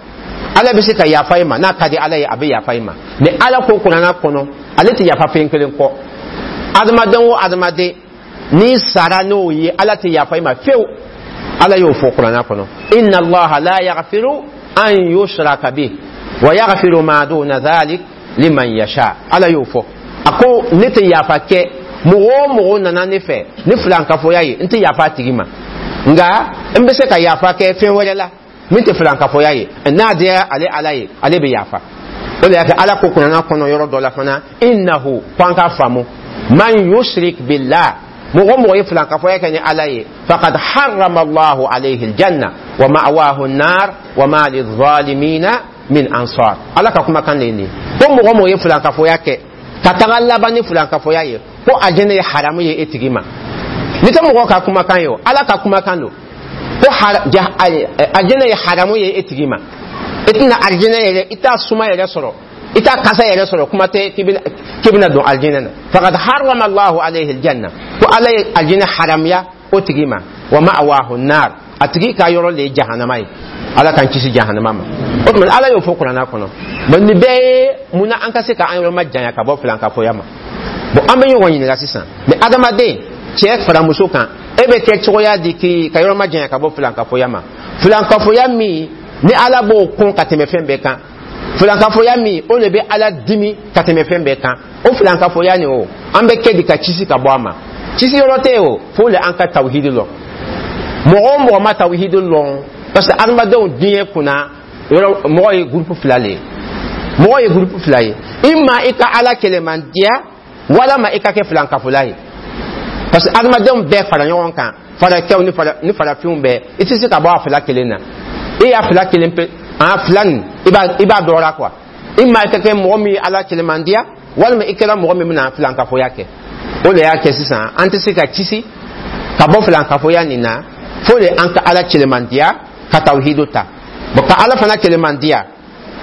Ala bɛ se ka yafa i ma, n'a ka di Ala ye, a bɛ yafa i ma. Mais Ala ko Kuranna kɔnɔ, ale tɛ yafa fɛn kelen kɔ. Adamaden o adamaden, n'i sara n'o ye, Ala tɛ yafa i ma fiyewu. Ala y'o fɔ Kuranna kɔnɔ: inna Allaha la yaghfiru an yushraka bih wa yaghfiru ma duna dhalik liman yasha. Ala y'o fɔ, a ko ne tɛ yafa kɛ mɔgɔ o mɔgɔ nana ne fɛ ni filankafoya ye, n tɛ yafa a tigi ma, nka n bɛ se ka yafa kɛ fɛn wɛrɛ la. Min tɛ filankafoya ye, n'a diyara ale Ala ye, ale bɛ yafa. O de y'a kɛ Ala ko kuranna kɔnɔ yɔrɔ dɔ la fana, innahu, ko an k'a faamu, man yushrik billah, mɔgɔ mɔgɔ ye filankafoya kɛ ni Ala ye, faqad harrama Allahu alayhi aljanna wa ma'wahu an-nar wa ma lidh-dhalimina min ansar. Ala ka kumakan de ye nin ye, ko mɔgɔ mɔgɔ ye filankafoya kɛ ka taga laban ni filankafoya ye, ko aljɛnɛ ye haramu ye e tigi ma. Ni tɛ mɔgɔ ka kumakan ye o, Ala ka kumakan don, ko aljɛnɛ ye haramu ye e tigi ma. I tɛna aljɛnɛ yɛrɛ, i t'a suma yɛrɛ sɔrɔ, i t'a kasa yɛrɛ sɔrɔ, kuma tɛ k'i bɛna don aljɛnɛ na. Faqad harrama Allahu alayhi aljanna, ko Ala ye aljɛnɛ haramuya o tigi ma, wa ma'wahu nar, a tigi ka yɔrɔ le ye jahanama ye. Ala k'an kisi jahanama ma. O tuma Ala y'o fɔ kuranna kɔnɔ. Bon, nin bɛɛ ye munna an ka se ka an yɔrɔ ma janya ka bɔ filankafoya ma. Bon, an bɛ ɲɔgɔn ɲininka sisan, mais adamaden, cɛ fara muso kan, e bɛ kɛ cogoya di k'i ka yɔrɔ ma janya ka bɔ filankafoya ma? Filankafoya min ni Ala b'o kɔn ka tɛmɛ fɛn bɛɛ kan, filankafoya min o de bɛ Ala dimi ka tɛmɛ fɛn bɛɛ kan, o filankafoya nin o, an bɛ kɛ di ka kisi ka bɔ a ma? Kisi yɔrɔ tɛ yen o, fo le an ka tawhidi lɔn. Mɔgɔ o mɔgɔ ma tawhidi lɔn, parce que adamadenw diɲɛ kunna yɔrɔ, mɔgɔ ye groupe fila le ye, mɔgɔ ye groupe fila ye: i ma i ka Ala kɛlɛmandiya, walama i ka kɛ filankafola ye. Parce que adamadenw bɛɛ fara ɲɔgɔn kan, farakɛw ni fara ni farafinw bɛɛ, i tɛ se ka bɔ a fila kelen na. I y'a fila kelen pe, a fila nin, i b'a i b'a dɔra quoi. I ma i ka kɛ mɔgɔ min ye Ala kɛlɛmandiya, walima i kɛra mɔgɔ min bɛna filankafoya kɛ. O de y'a kɛ sisan an tɛ se ka kisi ka bɔ filankafoya nin na, fo de an ka Ala kɛlɛmandiya, ka tawhidu ta. Bon, ka Ala fana kɛlɛmandiya,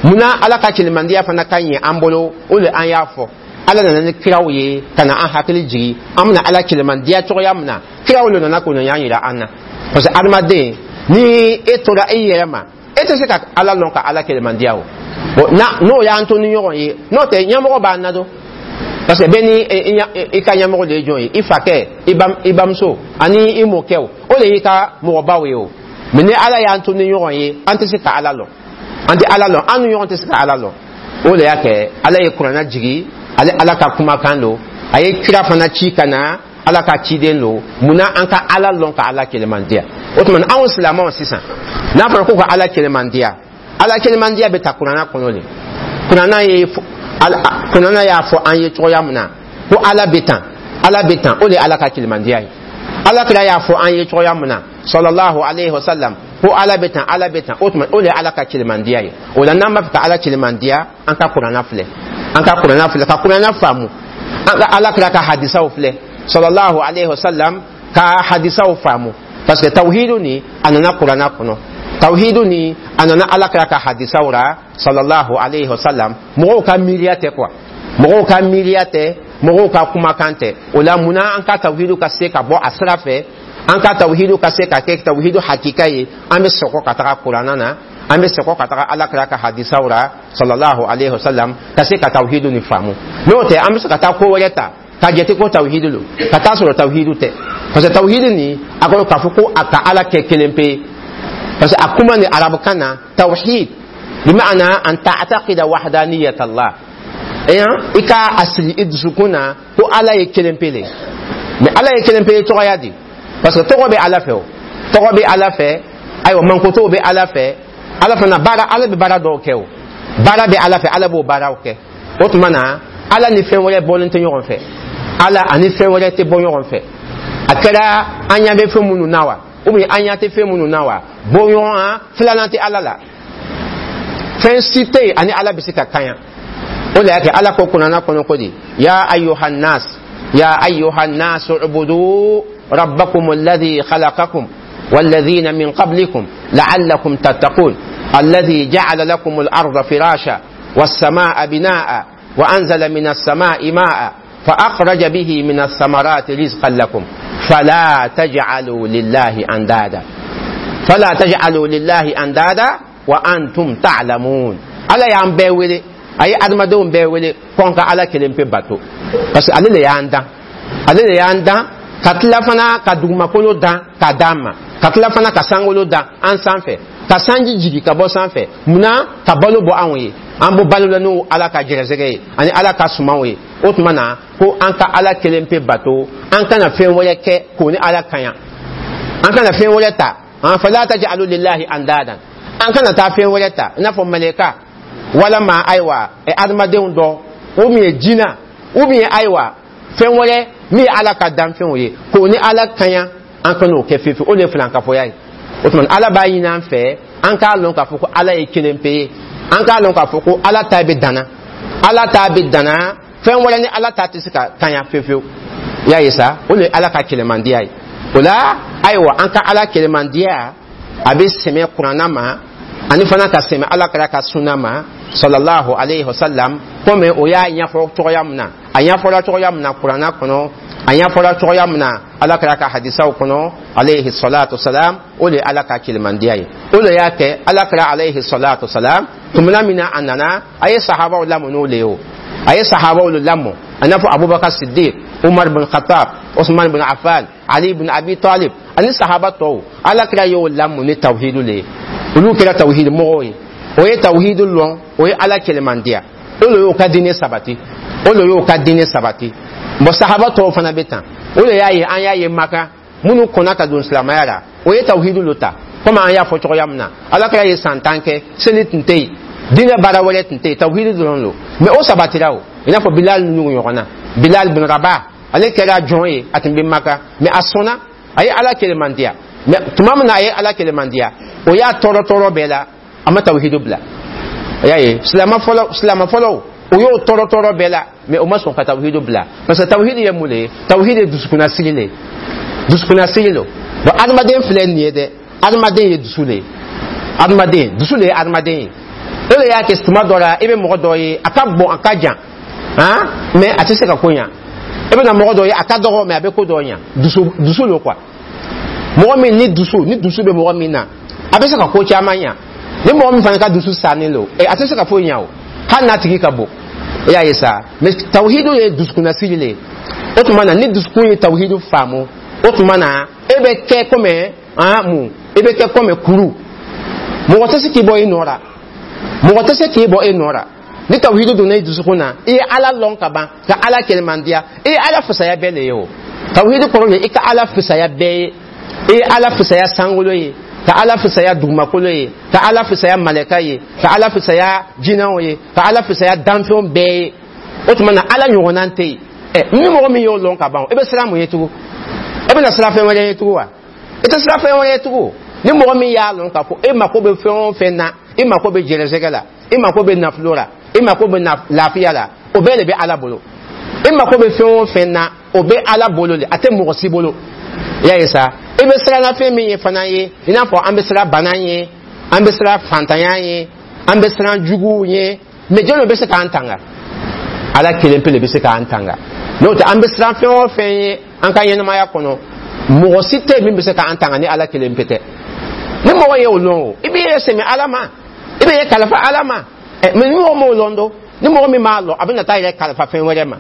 munna Ala ka kɛlɛmandiya fana ka ɲɛ an bolo? O de an y'a fɔ, Ala nana ni kiraw ye ka na an hakili jigi an bɛna Ala kɛlɛmandiya cogoya min na. Kiraw de nana k'o ɲa yira an na, parce que adamaden, ni e tora i yɛrɛ ma, e tɛ se ka Ala lɔn ka Ala kɛlɛmandiya o. Bon, n'o y'an to ni ɲɔgɔn ye, n'o tɛ ɲɛmɔgɔ b'an na don, parce que bɛɛ ni i ka ɲɛmɔgɔ de ye jɔn ye, i fakɛ, i bamuso ani i mɔkɛw, o de y'i ka mɔgɔbaw ye o. Mais ni Ala y'an to ni ɲɔgɔn ye, an tɛ se ka Ala lɔn, an tɛ Ala lɔn, an ni ɲɔgɔn tɛ se ka Ala lɔn. O de y'a kɛ Ala ye kuranna jigi, ale Ala ka kumakan don, a ye kira fana ci ka na, Ala ka ciden don. Munna an ka Ala lɔn ka Ala kɛlɛmandiya? O tuma anw silamɛw sisan, n'a fɔra ko ka Ala kɛlɛmandiya, Ala kɛlɛmandiya bɛ ta kuranna kɔnɔ de. Kuranna ye, kuranna y'a fɔ an ye cogoya min na ko Ala bɛ tan, Ala bɛ tan, o de ye Ala ka kɛlɛmandiya ye. Ala kira y'a fɔ an ye cogoya min na, sallallahu alayhi wa sallam, ko Ala bɛ tan, Ala bɛ tan, o tuma o de ye Ala ka kɛlɛmandiya ye. O la, n'an b'a fɛ ka Ala kɛlɛmandiya, an ka kuranna filɛ, an ka kuranna filɛ ka kuranna faamu, an ka Ala kira ka hadisaw filɛ, sallallahu alayhi wa sallam ka hadisaw faamu, parce que tawhidu ni a nana kuranna kɔnɔ, tawhidu ni a nana Ala kira ka hadisaw ra, sallallahu alayhi wa sallam. Mɔgɔw ka miiriya tɛ quoi, mɔgɔw ka miiriya tɛ, mɔgɔw ka kumakan tɛ. O la, munna an ka tawhidu ka se ka bɔ a sira fɛ, an ka tawhidu ka se ka kɛ tawhidu hakika ye? An bɛ sɔgɔ ka taga kuranna na, an bɛ sɔgɔ ka taga Ala kira ka hadisaw ra, sallallahu alayhi wa sallam, ka se ka tawhidu ni faamu. N'o tɛ, an bɛ se ka taa ko wɛrɛ ta ka jate ko tawhidu lo, ka taa sɔrɔ tawhidu tɛ, parce que tawhidu ni a kɔrɔ k'a fɔ ko a ka Ala kɛ kelen pe, parce que a kuma ni arabukan na, tawhid bima'ana an ta'taqida wahdaniyat Allah, i ka a sigi i dusukun na ko Ala ye kelen pe le. Mais Ala ye kelen pe ye cogoya di? Parce que tɔgɔ bɛ Ala fɛ, o tɔgɔ bɛ Ala fɛ, ayiwa, mankotow bɛ Ala fɛ, Ala fana baara, Ala bɛ baara dɔw kɛ, o baara bɛ Ala fɛ, Ala b'o baaraw kɛ. O tuma na, Ala ni fɛn wɛrɛ bɔlen tɛ ɲɔgɔn fɛ, Ala ani fɛn wɛrɛ tɛ bɔ ɲɔgɔn fɛ. A kɛra an ɲɛ bɛ fɛn minnu na wa, ou bien an ɲɛ tɛ fɛn minnu na wa, bɔɲɔgɔn filanan tɛ Ala la, fɛn si tɛ yen ani Ala bɛ se ka kaɲa. O de y'a kɛ Ala ko kuranna kɔnɔ ko di: ya ayyuhan nas, ya ayyuhan nas, ubudu rabbakum alladhi khalaqakum والذين من قبلكم لعلكم تتقون، الذي جعل لكم الأرض فراشا والسماء بناء وأنزل من السماء ماء فأخرج به من الثمرات رزقا لكم فلا تجعلوا لله أندادا، فلا تجعلوا لله أندادا وأنتم تعلمون. Ala y'an bɛɛ wele, a ye adamadenw bɛɛ wele ko an ka Ala kelen pe bato, parce que ale de y'an dan, ale de y'an dan, ka tila fana ka dugumakolo dan k'a d'an ma, ka tila fana ka sankolo dan an sanfɛ, ka sanji jigi ka bɔ sanfɛ. Munna? Ka balo bɔ anw ye, an bɔ balo la n'o Ala ka gɛrɛsɛgɛ ye ani Ala ka sumanw ye. O tuma na, ko an ka Ala kelen pe bato, an kana fɛn wɛrɛ kɛ k'o ni Ala kaɲa, an kana fɛn wɛrɛ ta. An fala taj'alu lillahi andadan. An kana taa fɛn wɛrɛ ta, i n'a fɔ mɛlɛka walama ayiwa adamadenw dɔ, ou bien jina, ou bien ayiwa fɛn wɛrɛ min ye Ala ka danfɛnw ye, k'o ni Ala kaɲa. An kan'o kɛ fiyewu. O de ye filankafoya ye. O tuma, Ala b'a ɲini an fɛ, an k'a lɔn k'a fɔ ko Ala ye kelen pe ye. An k'a lɔn k'a fɔ ko Ala ta bɛ danna, Ala ta bɛ danna, fɛn wɛrɛ ni Ala ta tɛ se ka kaɲa fiyewu fiyewu. I y'a ye sa, o de ye Ala ka kɛlɛmandiya ye. O la ayiwa, an ka Ala kɛlɛmandiya, a bɛ sɛmɛ Kuranna ma, ani fana ka sɛmɛ Ala kɛra ka sunna ma, sallallahu alayhi wa sallam. Komi o y'a ɲɛfɔ cogoya min na, a ɲɛfɔla cogoya min na Kuranna kɔnɔ, a ɲɛfɔla cogoya min na Ala kɛra ka hadisaw kɔnɔ, alayhi salatu salam, o de ye Ala ka kɛlɛmandiya ye. O de y'a kɛ Ala kɛra, alayhi salatu salam, tumana min na a nana, a ye sahabaw lamɔ n'o le ye. O a ye sahabaw lamɔ, a n'a fɔ Abubakar Siddiq, Umar bin Khattab, Usman bin Affan, Ali bin Abi Talib ani sahaba tɔw. Ala kɛra y'o lamɔ ni tawhidu le ye. Olu kɛra tawhidi mɔgɔw ye. O ye tawhidu lɔn, o ye Ala kɛlɛmandiya, o de y'o ka diinɛ sabati, o de y'o ka diinɛ sabati. Bon, sahaba tɔw fana bɛ tan. O de y'a ye, an y'a ye Maka, minnu kɔnna ka don silamɛya la, o ye tawhidu lo ta. Komi an y'a fɔ cogoya min na, Ala kɛra ye san tan kɛ, seli tun tɛ yen, diinɛ baara wɛrɛ tun tɛ yen, tawhidu dɔrɔn lo. Mais o sabatira. O i n'a fɔ Bilal ninnu ɲɔgɔn na, Bilal bin Rabah, ale kɛra jɔn ye, a tun bɛ Maka, mais a sɔnna, a ye Ala kɛlɛmandiya. Mais tuma min na a ye Ala kɛlɛmandiya, o y'a tɔɔrɔ tɔɔrɔ bɛɛ la, a ma tawhidu bila. A y'a ye, silamɛ fɔlɔ, silamɛ fɔlɔw, o y'o tɔɔrɔ tɔɔrɔ bɛɛ la, mais o ma sɔn ka tawhidu bila, parce que tawhidu ye mun de ye? Tawhidu ye dusukunnasigi le ye, dusukunnasigi lo. Bon, adamaden filɛ nin ye dɛ, adamaden ye dusu de ye, adamaden dusu de ye adamaden ye. O de y'a kɛ tuma dɔ la, i bɛ mɔgɔ dɔ ye, a ka bon, a ka jan han, mais a tɛ se ka ko ɲa. I bɛna mɔgɔ dɔ ye, a ka dɔgɔ, mais a bɛ ko dɔ ɲa. Dusu, dusu lo quoi. Mɔgɔ min ni dusu, ni dusu bɛ mɔgɔ min na, a bɛ se ka ko caman ɲa. Ni mɔgɔ min fana ka dusu sannen lo, a tɛ se ka foyi ɲa o, hali n'a tigi ka bon. I y'a ye sa. Mais tawhidu ye dusukunnasigi le ye. O tuma na, ni dusukun ye tawhidu faamu, o tuma na e bɛ kɛ komi han mun? I bɛ kɛ komi kuru, mɔgɔ tɛ se k'i bɔ i nɔ la, mɔgɔ tɛ se k'i bɔ e nɔ la. Ni tawhidu donna i dusukun na, i ye Ala lɔn ka ban, ka Ala kɛlɛmandiya, i ye Ala fisaya bɛɛ le ye. O tawhidu kɔrɔ de, i ka Ala fisaya bɛɛ ye. I ye Ala fisaya sankolo ye, ka Ala fisaya dugumakolo ye, ka Ala fisaya malɛka ye, ka Ala fisaya jinɛw ye, ka Ala fisaya danfɛnw bɛɛ ye. O tuma na, Ala ɲɔgɔnna tɛ yen. Ɛ, ni mɔgɔ min y'o lɔn ka ban, i bɛ siran mun ye tugun? E bɛna siran fɛn wɛrɛ ye tugun wa? I tɛ siran fɛn wɛrɛ ye tugun. Ni mɔgɔ min y'a lɔn k'a fɔ e mako bɛ fɛn o fɛn na, i mako bɛ jɛnɛsɛgɛ la, i mako bɛ nafolo la, i mako bɛ lafiya la, o bɛɛ de bɛ Ala bolo. I mako bɛ fɛn o fɛn na, o bɛ Ala bolo de, a tɛ mɔgɔ si bolo. I y'a ye sa, i bɛ siran fɛn min ye fana ye, i n'a fɔ an bɛ siran bana ye, an bɛ siran fantanya ye, an bɛ siran juguw ye, mais jɔn de bɛ se k'an tanga? Ala kelen pe de bɛ se k'an tanga. N'o tɛ, an bɛ siran fɛn o fɛn ye an ka ɲɛnamaya kɔnɔ, mɔgɔ si tɛ min bɛ se k'an tanga ni Ala kelen pe tɛ. Ni mɔgɔ ye o lɔn, o i b'i yɛrɛ sɛmɛ Ala ma, i bɛ yɛrɛ kalifa Ala ma. Ɛ, mais ni mɔgɔ m'o lɔn do, ni mɔgɔ min m'a lɔn, a bɛna taa yɛrɛ kalifa fɛn wɛrɛ ma.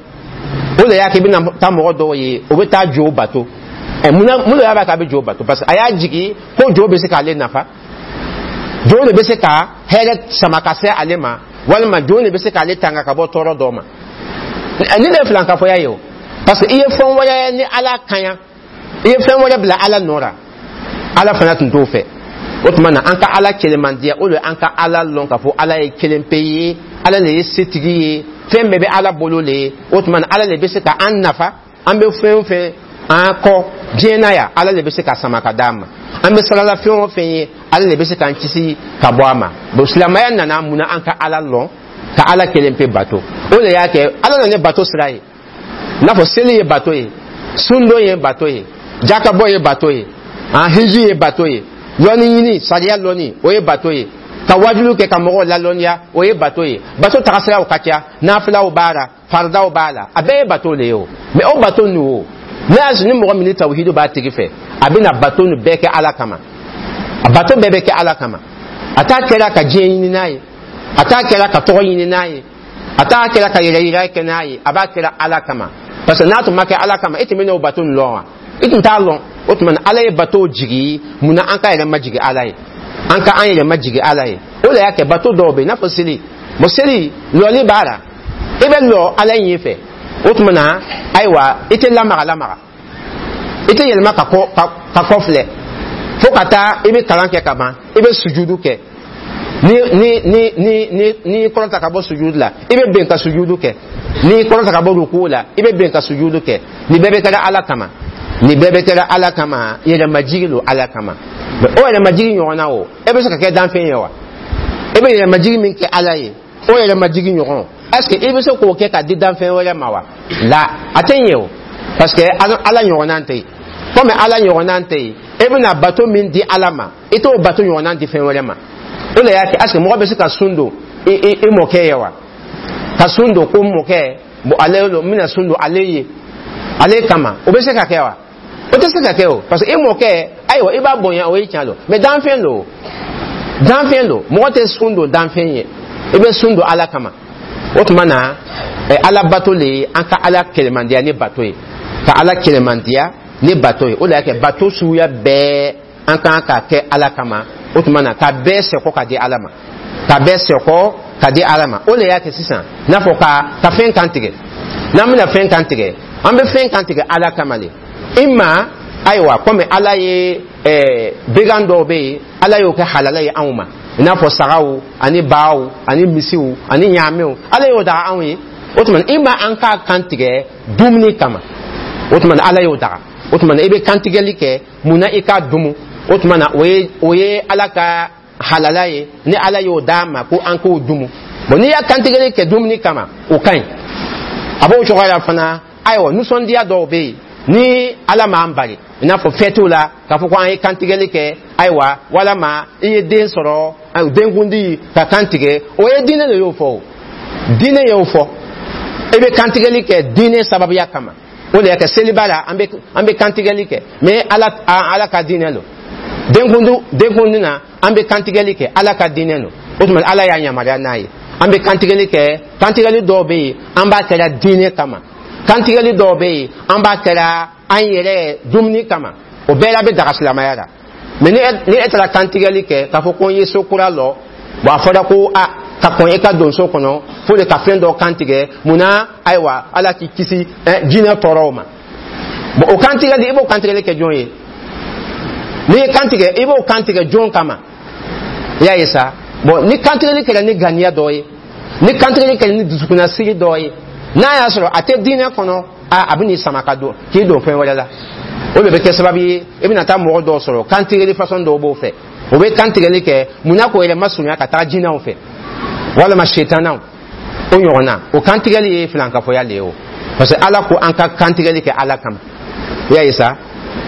O de y'a kɛ i bɛna taa mɔgɔ dɔw ye, o bɛ taa jo bato. Ɛ, mun na? Mun de y'a k'a bɛ jo bato? Parce que a y'a jigi ko jo bɛ se k'ale nafa, jo de bɛ se ka hɛrɛ sama ka se ale ma, walima jo de bɛ se k'ale tanga ka bɔ tɔɔrɔ dɔ ma. Ni de ye filankafoya ye o, parce que i ye fɛn wɛrɛ ni Ala kaɲa, i ye fɛn wɛrɛ bila Ala nɔ la. Ala fana tun t'o fɛ. O tuma na, an ka Ala kɛlɛmandiya, o de an ka Ala lɔn k'a fɔ Ala ye kelen pe ye, Ala de ye setigi ye, fɛn bɛɛ bɛ Ala bolo le ye. O tuma na, Ala de bɛ se ka an nafa. An bɛ fɛn o fɛn an kɔ diɲɛ na yan, Ala de bɛ se ka sama ka d'an ma. An bɛ sarala fɛn o fɛn ye, Ala de bɛ se k'an kisi ka bɔ a ma. Bon, silamɛya nana mun na? An ka Ala lɔn, ka Ala kelen pe bato. O de y'a kɛ Ala nana ni bato sira ye, i n'a fɔ seli ye bato ye, sundon ye bato ye, jakabɔ ye bato ye, an hiji ye bato ye, lɔnni ɲini, sariya lɔnni, o ye bato ye, ka wajulu kɛ ka mɔgɔw lalɔnniya, o ye bato ye. Bato tagasiraw ka ca, nafilaw b'a la, faridaw b'a la, a bɛɛ ye bato le ye. O mais o bato ninnu, o ne y'a sɔrɔ ni mɔgɔ min ni tawhidu b'a tigi fɛ, a bɛna bato nin bɛɛ kɛ Ala kama. A bato bɛɛ bɛ kɛ Ala kama. A t'a kɛra ka diɲɛ ɲini n'a ye, a t'a kɛra ka tɔgɔ ɲini n'a ye, a t'a kɛra ka yɛrɛ yira kɛ n'a ye, a b'a kɛra Ala kama. Parce que n'a tun ma kɛ Ala kama, e tun bɛ n'o bato nin lɔn wa? I tun t'a lɔn. O tuma na, Ala ye bato jigi mun na? An ka yɛrɛ majigi Ala ye, an ka an yɛrɛ majigi Ala ye. O de y'a kɛ bato dɔw bɛ yen, i n'a fɔ seli. Bon, seli lɔli b'a la, i bɛ lɔ Ala ɲɛ fɛ. O tuma na ayiwa, i tɛ lamaga lamaga, i tɛ yɛlɛma ka kɔ ka kɔ filɛ fo ka taa i bɛ kalan kɛ ka ban, i bɛ sujudu kɛ. Ni ni ni ni ni n'i kɔrɔta ka bɔ sujudu la, i bɛ bɛn ka sujudu kɛ. N'i kɔrɔta ka bɔ ruku la, i bɛ bɛn ka sujudu kɛ. Nin bɛɛ bɛ kɛra Ala kama, nin bɛɛ bɛ kɛra Ala kama. Yɛrɛmajigi don Ala kama. Mais o yɛrɛmajigi ɲɔgɔnna, o e bɛ se ka kɛ danfɛn ye wa? E bɛ yɛrɛmajigi min kɛ Ala ye, o yɛrɛmajigi ɲɔgɔn, est ce que i bɛ se k'o kɛ ka di danfɛn wɛrɛ ma wa? La, a tɛ ɲɛ o, parce que Ala ɲɔgɔnna tɛ yen. Komi Ala ɲɔgɔnna tɛ yen, e bɛna bato min di Ala ma, i t'o bato ɲɔgɔnna di fɛn wɛrɛ ma. O de y'a kɛ, est ce que mɔgɔ bɛ se ka sun don i i i mɔkɛ ye wa? Ka sun don ko mɔkɛ, bon, ale don, n bɛna sun don ale ye, ale kama, o bɛ se ka kɛ wa? O tɛ se ka kɛ o, parce que i mɔkɛ, ayiwa, i b'a bonya, o ye tiɲɛ don, mais danfɛn don, danfɛn don. Mɔgɔ tɛ sun don danfɛn ye, i bɛ sun don Ala kama. O tuma na, Ala bato le ye an ka Ala kɛlɛmandiya ni bato ye, ka Ala kɛlɛmandiya ni bato ye. O de y'a kɛ bato suguya bɛɛ, an kan ka kɛ Ala kama. O tuma na, ka bɛɛ sɛkɔ ka di Ala ma, ka bɛɛ sɛkɔ ka di Ala ma. O de y'a kɛ sisan, n'a fɔ ka ka fɛn kan tigɛ, n'an bɛna fɛn kan tigɛ, an bɛ fɛn kan tigɛ Ala kama de. Ima ayiwa, komi Ala ye ɛɛ began dɔw bɛ yen, Ala y'o kɛ halala ye anw ma, i n'a fɔ sagaw ani baw ani misiw ani ɲaamɛw, Ala y'o daga anw ye. O tuma na, ima an k'a kan tigɛ dumuni kama, o tuma na Ala y'o daga. O tuma na, i bɛ kantigɛli kɛ mun na? I k'a dumu. O tuma na, o ye o ye Ala ka halala ye, ni Ala y'o d'a ma ko an k'o dumu. Bon, n'i y'a kantigɛli kɛ dumuni kama, o ka ɲi. A b'o cogoya la fana. Ayiwa, nisɔndiya dɔw bɛ yen ni Ala m'an bali, i n'a fɔ fɛtiw la, k'a fɔ ko an ye kantigɛli kɛ, ayiwa, walama i ye den sɔrɔ, denkundi, ka kan tigɛ, o ye diinɛ de y'o fɔ. O diinɛ y'o fɔ, i bɛ kantigɛli kɛ diinɛ sababuya kama. O de y'a kɛ seliba la, an bɛ an bɛ kantigɛli kɛ, mais Ala Ala ka diinɛ don. Denkundi denkundi na, an bɛ kantigɛli kɛ, Ala ka diinɛ don. O tuma, Ala y'a yamaruya n'a ye, an bɛ kantigɛli kɛ. Kantigɛli dɔw bɛ yen, an b'a kɛra diinɛ kama. Kantigɛli dɔw bɛ yen, an b'a kɛra an yɛrɛ dumuni kama. O bɛɛ la bɛ daga silamɛya la. Mais ni ni e taara kantigɛli kɛ k'a fɔ ko n ye so kura lɔ, bon, a fɔra ko a ka kɔn e ka don so kɔnɔ fo de ka fɛn dɔ kantigɛ. Munna? Ayiwa, Ala k'i kisi jinɛ tɔɔrɔw ma. Bon, o kantigɛli, i b'o kantigɛli kɛ jɔn ye? N'i ye kantigɛ, i b'o kantigɛ jɔn kama? I y'a ye sa. Bon, ni kantigɛli kɛra ni ganiya dɔ ye, ni kantigɛli kɛra ni dusukunnasiri dɔ ye, n'a y'a sɔrɔ a tɛ diinɛ kɔnɔ, a a bɛ n'i sama ka don k'i don fɛn wɛrɛ la. O de bɛ kɛ sababu ye, i bɛna taa mɔgɔ dɔw sɔrɔ, kantigɛli façon dɔw b'o fɛ. O bɛ kantigɛli kɛ munna? K'o yɛrɛ masurunya ka taa jinɛw fɛ walama setanaw, o ɲɔgɔnna. O kantigɛli ye filankafoya le ye o, parce que Ala ko an ka kantigɛli kɛ Ala kama. I y'a ye sa.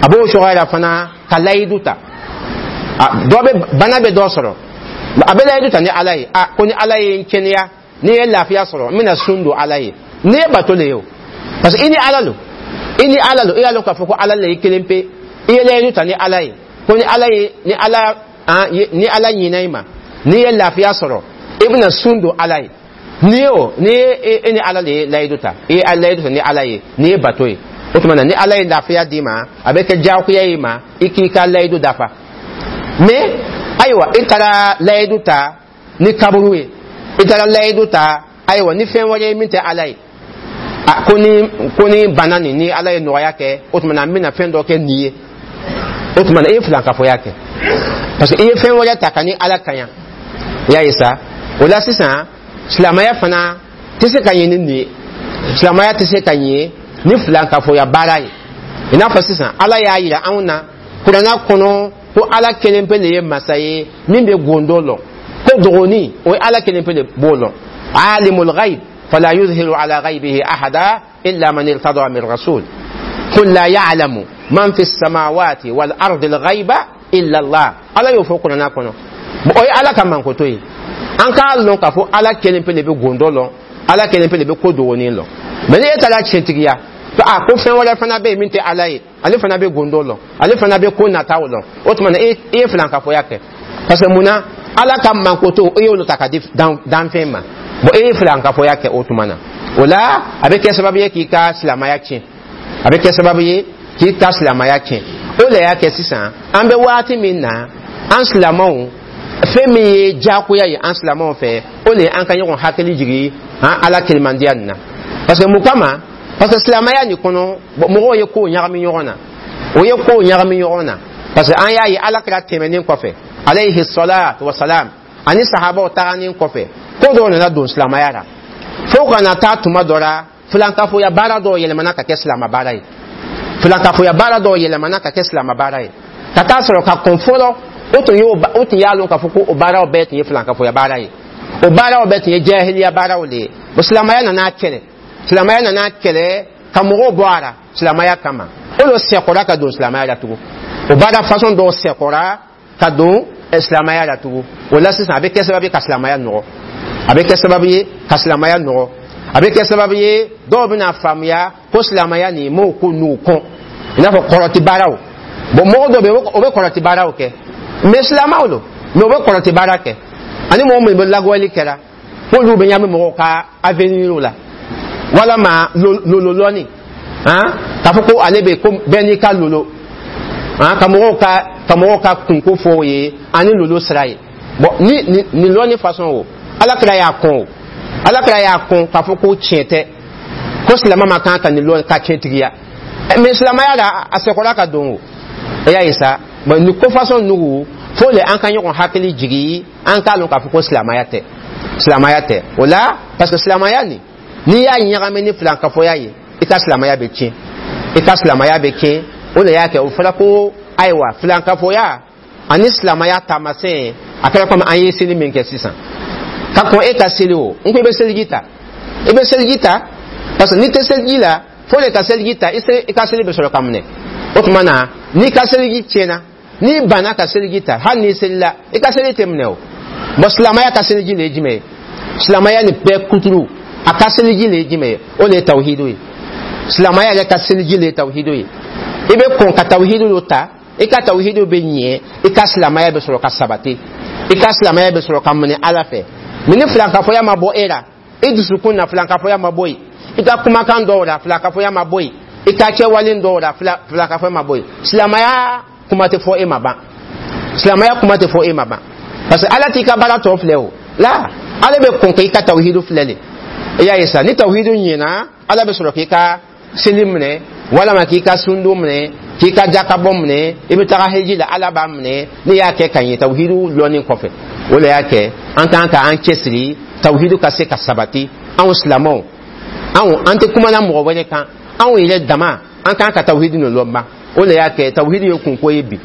A b'o cogoya la fana, ka layidu ta. Dɔ bɛ bana bɛ dɔ sɔrɔ, a bɛ layidu ta ni Ala ye, a ko ni Ala ye n kɛnɛya, ni ye lafiya sɔrɔ, n bɛna sun don Ala ye. Ni ye bato le ye o, parce que i ni Ala lo, i ni Ala lo. I y'a lɔn k'a fɔ ko Ala le ye kelen pe. I ye layidu ta ni Ala ye ko ni Ala ye, ni Ala ni Ala ɲinɛ i ma, n'i ye lafiya sɔrɔ, i bɛna sun don Ala ye. N'i ye o, ni ye e ni Ala de ye layidu ta, i ye layidu ta ni Ala ye, n'i ye bato ye. O tuma na, ni Ala ye lafiya d'i ma, a bɛ kɛ diyagoya i ma i k'i ka layidu dafa. Mais ayiwa, i taara layidu ta ni kaburu ye, i taara layidu ta, ayiwa, ni fɛn wɛrɛ ye min tɛ Ala ye, a ko ni ko ni bana nin, ni Ala ye nɔgɔya kɛ, o tuma na n bɛna fɛn dɔ kɛ nin ye. O tuma na, i ye filankafoya kɛ, parce que i ye fɛn wɛrɛ ta ka ni Ala kaɲa. I y'a ye sa. O la sisan, silamɛya fana tɛ se ka ɲɛ ni nin ye. Silamɛya tɛ se ka ɲɛ ni filankafoya baara ye. I n'a fɔ sisan, Ala y'a yira anw na Kuranna kɔnɔ ko Ala kelen pe de ye masa ye min bɛ gondo lɔn, ko dogoni, o ye Ala kelen pe de b'o lɔn. Alimul ghaib fala yuzhiru ala ghaibihi ahada illa man irtada min rasul. Qul la ya'lamu man fi samawati wal ardi al ghaiba illa Allah. Ala y'o fɔ Kuranna kɔnɔ. O ye Ala ka mankoto ye. An k'a lɔn k'a fɔ Ala kelen pe de bɛ gondo lɔn, Ala kelen pe de bɛ ko dogonin lɔn. Mais ni e taara tiɲɛtigiya a ko fɛn wɛrɛ fana bɛ yen min tɛ Ala ye, ale fana bɛ gondo lɔn, ale fana bɛ ko nataw lɔn, o tuma na e ye filankafoya kɛ. Parce que munna? Ala ka mankoto, e y'olu ta ka di danfɛn ma. Bon, e ye filankafoya kɛ. O tuma na, o la a bɛ kɛ sababu ye k'i ka silamɛya tiɲɛ, a bɛ kɛ sababu ye k'i ka silamɛya tiɲɛ. O de y'a kɛ sisan, an bɛ waati min na, an silamɛw, fɛn min ye diyagoya ye an silamɛw fɛ, o de ye an ka ɲɔgɔn hakili jigin an Ala kelemandiya nin na. Parce que mun kama? Parce que silamɛya nin kɔnɔ, mɔgɔw ye kow ɲagami ɲɔgɔn na, o ye kow ɲagami ɲɔgɔn na. Parce que an y'a ye, Ala kɛra tɛmɛnen kɔfɛ, alayhi salatu wa salam, Ani sahabaw taganin kɔfɛ, ko dɔw nana don silamɛya la, fo ka na taa tuma dɔ la, filankafoya baara dɔw yɛlɛmana ka kɛ silamɛ baara ye. Filankafoya baara dɔw yɛlɛmana ka kɛ silamɛ baara ye, ka taa sɔrɔ ka kɔn fɔlɔ, o tun y'o o tun y'a lɔn k'a fɔ ko o baaraw bɛɛ tun ye filankafoya baara ye, o baaraw bɛɛ tun ye jahiliya baaraw de ye. Bon, silamɛya nana kɛlɛ, silamɛya nana kɛlɛ ka mɔgɔw bɔ a la silamɛya kama. O de sɛkɔra ka don silamɛya la tugun, o baara façon dɔw sɛkɔra ka don silamɛya la tugun. O la sisan, a bɛ kɛ sababu ye ka silamɛya nɔgɔ, a bɛ kɛ sababu ye ka silamɛya nɔgɔ, a bɛ kɛ sababu ye dɔw bɛna faamuya ko silamɛya nin m'o ko n'u kɔn, i n'a fɔ kɔrɔti baaraw. Bon, mɔgɔ dɔ bɛ yen, o bɛ kɔrɔti baaraw kɛ, mais silamɛw don, mais o bɛ kɔrɔti baara kɛ. Ani mɔgɔ min bɛ lagɔli kɛra, k'olu bɛ ɲami mɔgɔw ka avenir la, walama lololɔni han, k'a fɔ ko ale bɛ ko bɛɛ n'i ka lolo han, ka mɔgɔw ka ka mɔgɔw ka kunko fɔ o ye ani lolo sira ye. Bon, ni ni nin lɔnni façon o, Ala kira y'a kɔn o, Ala kira y'a kɔn k'a fɔ ko tiɲɛ tɛ, ko silamɛ ma kan ka nin lɔn ka tiɲɛtigiya. Mais silamɛya la, a sɛkɔra ka don o. E y'a ye sa, bon, nin ko façon nugu, fo le an ka ɲɔgɔn hakili jigi, an k'a lɔn k'a fɔ ko silamɛya tɛ, silamɛya tɛ o la. Parce que silamɛya nin, n'i y'a ɲagami ni filankafoya ye, i ka silamɛya bɛ tiɲɛ, i ka silamɛya bɛ tiɲɛ. O de y'a kɛ o fɔra ko ayiwa, filankafoya ani silamɛya taamasiyɛn, a kɛra komi an ye seli min kɛ sisan. Ka kɔn e ka seli o, n ko i bɛ seliji ta, i bɛ seliji ta, parce que n'i tɛ seliji la, fo de ka seliji ta, i ka seli bɛ sɔrɔ ka minɛ. O tuma na, n'i ka seliji tiɲɛna, n'i banna ka seliji ta, hali n'i selila, i ka seli tɛ minɛ o. Bon, silamɛya ka seliji le ye jumɛn ye? Silamɛya nin bɛɛ kuturu, a ka seliji le ye jumɛn ye? O de ye tawhidu ye. Silamɛya yɛrɛ ka seliji le ye tawhidu ye. I bɛ kɔn ka tawhidu dɔ ta, i ka tawhidu bɛ ɲɛ, i ka silamɛya bɛ sɔrɔ ka sabati, i ka silamɛya bɛ sɔrɔ ka minɛ Ala fɛ. Mais ni filankafoya ma bɔ e la, i dusukun na filankafoya ma bɔ yen, i ka kumakan dɔw la filankafoya ma bɔ yen, i ka kɛwalen dɔw la filankafoya ma bɔ yen, silamɛya kuma tɛ fɔ e ma ban, silamɛya kuma tɛ fɔ e ma ban. Parce que Ala t'i ka baara tɔ filɛ o la, Ala bɛ kɔn k'i ka tawhidu filɛ de. I y'a ye sa, ni tawhidu ɲɛna, Ala bɛ sɔrɔ k'i ka seli minɛ, walama k'i ka sundon minɛ, k'i ka jakabɔ minɛ, i bɛ taga heji la, Ala b'a minɛ n'i y'a kɛ ka ɲɛ tawhidu lɔnni kɔfɛ. O de y'a kɛ an kan ka an cɛsiri tawhidu ka se ka sabati. Anw silamɛw, anw an tɛ kumana mɔgɔ wɛrɛ kan, anw yɛrɛ dama, an kan ka tawhidu nin lɔn ban. O de y'a kɛ tawhidu ye kunko ye bi,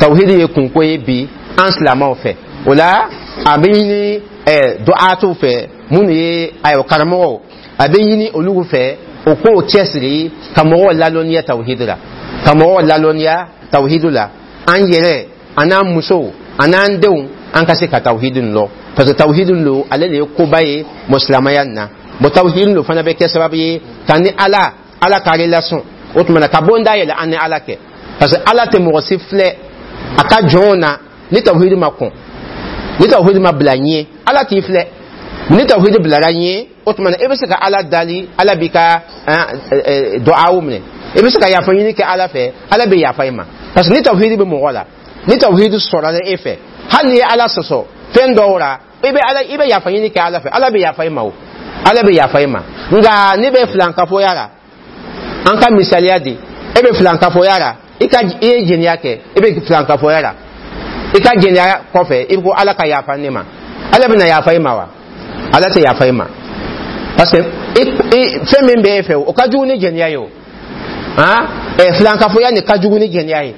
tawhidu ye kunko ye bi an silamɛw fɛ. O la, a bɛ ɲini ɛɛ duwatuw fɛ, minnu ye ayiwa karamɔgɔw, a bɛ ɲini olu fɛ o k'o cɛsiri ka mɔgɔw lalɔnniya tawhidu la, ka mɔgɔw lalɔnniya tawhidu la. An yɛrɛ an'an musow an'an denw, an ka se ka tawhidu nin lɔn, parce que tawhidu lo, ale de ye koba ye mɔ silamɛya nin na. Bon, tawhidu lo fana bɛ kɛ sababu ye ka ni Ala, Ala ka relation, o tuma na ka bon dayɛlɛ an ni Ala kɛ, parce que Ala tɛ mɔgɔ si filɛ a ka jɔnw na ni tawhidu ma kɔn, ni tawhidu ma bila ɲɛ, Ala t'i filɛ. Ni tawhidu bilara ɲɛ, o tuma na i bɛ se ka Ala dali, Ala b'i ka duwawu minɛ, i bɛ se ka yafa ɲini kɛ Ala fɛ, Ala bɛ yafa i ma. Parce que ni tawhidu bɛ mɔgɔ la, ni tawhidu sɔrɔla e fɛ, hali n'i ye Ala sɔsɔ fɛn dɔw la, i bɛ Ala, i bɛ yafa ɲini kɛ Ala fɛ, Ala bɛ yafa i ma o, Ala bɛ yafa i ma. Nka n'i bɛ filankafoya la, an ka misaliya di, e bɛ filankafoya la, i ka i ye jɛnɛya kɛ, i bɛ filankafoya la, i ka jɛnɛya kɔfɛ, i ko Ala ka yafa ne ma, Ala bɛna yafa i ma wa? Ala tɛ yafa i ma, parce que i fɛn min bɛ e fɛ, o ka jugu ni jɛnɛya ye o. Han, ɛ filankafoya nin ka jugu ni jɛnɛya ye.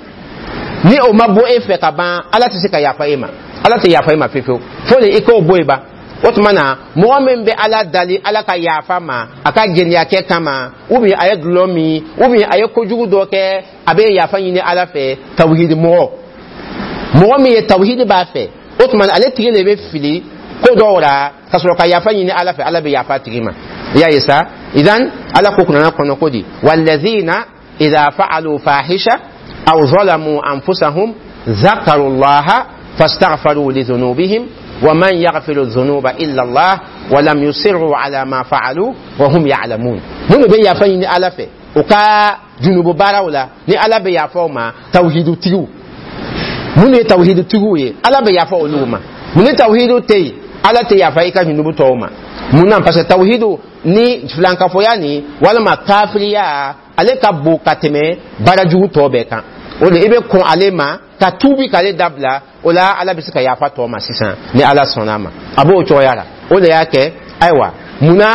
Ni o ma bɔ e fɛ ka ban, Ala tɛ se ka yafa e ma, Ala tɛ yafa e ma fiyewu, fo de i k'o bɔ yen ban. O tuma na, mɔgɔ min bɛ Ala dali Ala ka yafa ma a ka jɛnɛyakɛ kama, ou bien a ye dulɔ min, ou bien a ye kojugu dɔ kɛ, a bɛ yafa ɲini Ala fɛ, tawhidi mɔgɔ, mɔgɔ min ye tawhidi b'a fɛ, o tuma na ale tigi de bɛ fili ko dɔw la ka sɔrɔ ka yafa ɲini Ala fɛ, Ala bɛ yafa a tigi ma. I y'a ye sa, idan Ala ko kuranɛ kɔnɔ ko di: walladhina idha fa'alu fahisha aw zalamu anfusahum dhakaru llaha fastaghfaru lidhunubihim ومن يغفر الذنوب إلا الله ولم يصروا على ما فعلوا وهم يعلمون. Minnu bɛ yafa ɲini Ala fɛ u ka junubu baaraw la, ni Ala bɛ yafa o ma, tawhidu tigiw, minnu ye tawhidu tigiw ye, Ala bɛ yafa olu ma. Ni tawhidu tɛ yen, Ala tɛ yafa i ka junubu tɔw ma. Mun na? Parce que tawhidu ni filankafoya ni walima kafiriya, ale ka bon ka tɛmɛ baara jugu tɔ bɛɛ kan. O de i bɛ kɔn ale ma. Ka tuubi k'ale dabila, o la Ala bɛ se ka yafa tɔ ma sisan ni Ala sɔnna a ma. A b'o cogoya la. O de y'a kɛ, ayiwa, munna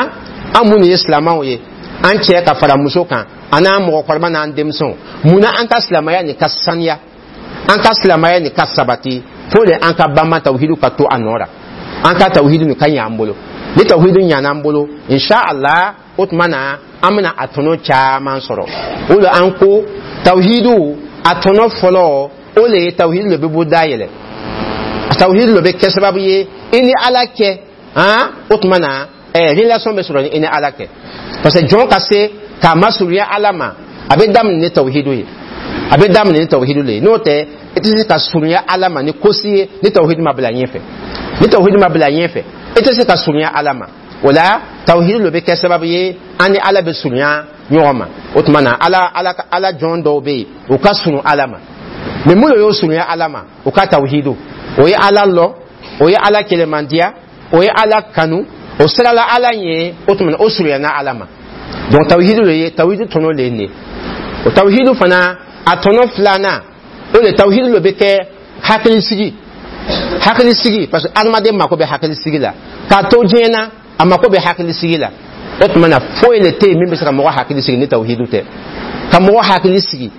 an minnu ye silamɛw ye, an cɛ ka fara muso kan, an n'an mɔgɔkɔrɔba n'an denmisɛnw, munna an ka silamɛya nin ka saniya, an ka silamɛya nin ka sabati? Fo de an ka banba tawhidu ka to a nɔ la, an ka tawhidu nin ka ɲɛ an bolo. Ni tawhidu ɲana an bolo, inshallah, o tuma na an bɛna a tɔnɔ caman sɔrɔ. O la an ko tawhidu a tɔnɔ fɔlɔ, o le ye tawhidu le bɛ bɔ dayɛlɛ. Tawhidu le bɛ kɛ sababu ye i ni Ala kɛ han, o tuma na ɛɛ relation bɛ sɔrɔ i ni Ala kɛ, parce que jɔn ka se k'a masurunya Ala ma, a bɛ daminɛ ni tawhidu ye, a bɛ daminɛ ni tawhidu le ye. N'o tɛ, i tɛ se ka surunya Ala ma ni kosi ye ni tawhidu ma bila ɲɛfɛ. Ni tawhidu ma bila ɲɛfɛ, i tɛ se ka surunya Ala ma. O la tawhidu le bɛ kɛ sababu ye an ni Ala bɛ surunya ɲɔgɔn ma. O tuma na Ala Ala Ala jɔn dɔw bɛ yen, u ka surun Ala ma, mɛ mun de y'o surunya Ala ma? U ka tawhidu, o ye Ala lɔ, o ye Ala kɛlɛmandiya, o ye Ala kanu, o sirala Ala ɲɛ. O tuma na o surunyana Ala ma. Donc tawhidu le ye, tawhidu tɔnɔ le ye nin ye. O tawhidu fana, a tɔnɔ filanan, o de tawhidu le bɛ kɛ hakilisigi, hakilisigi, parce que adamaden mako bɛ hakilisigi la k'a to diɲɛ na, a mako bɛ hakilisigi la. O tuma na foyi le tɛ yen min bɛ se ka mɔgɔ hakili sigi ni tawhidu tɛ. Ka mɔgɔ hakili sigi,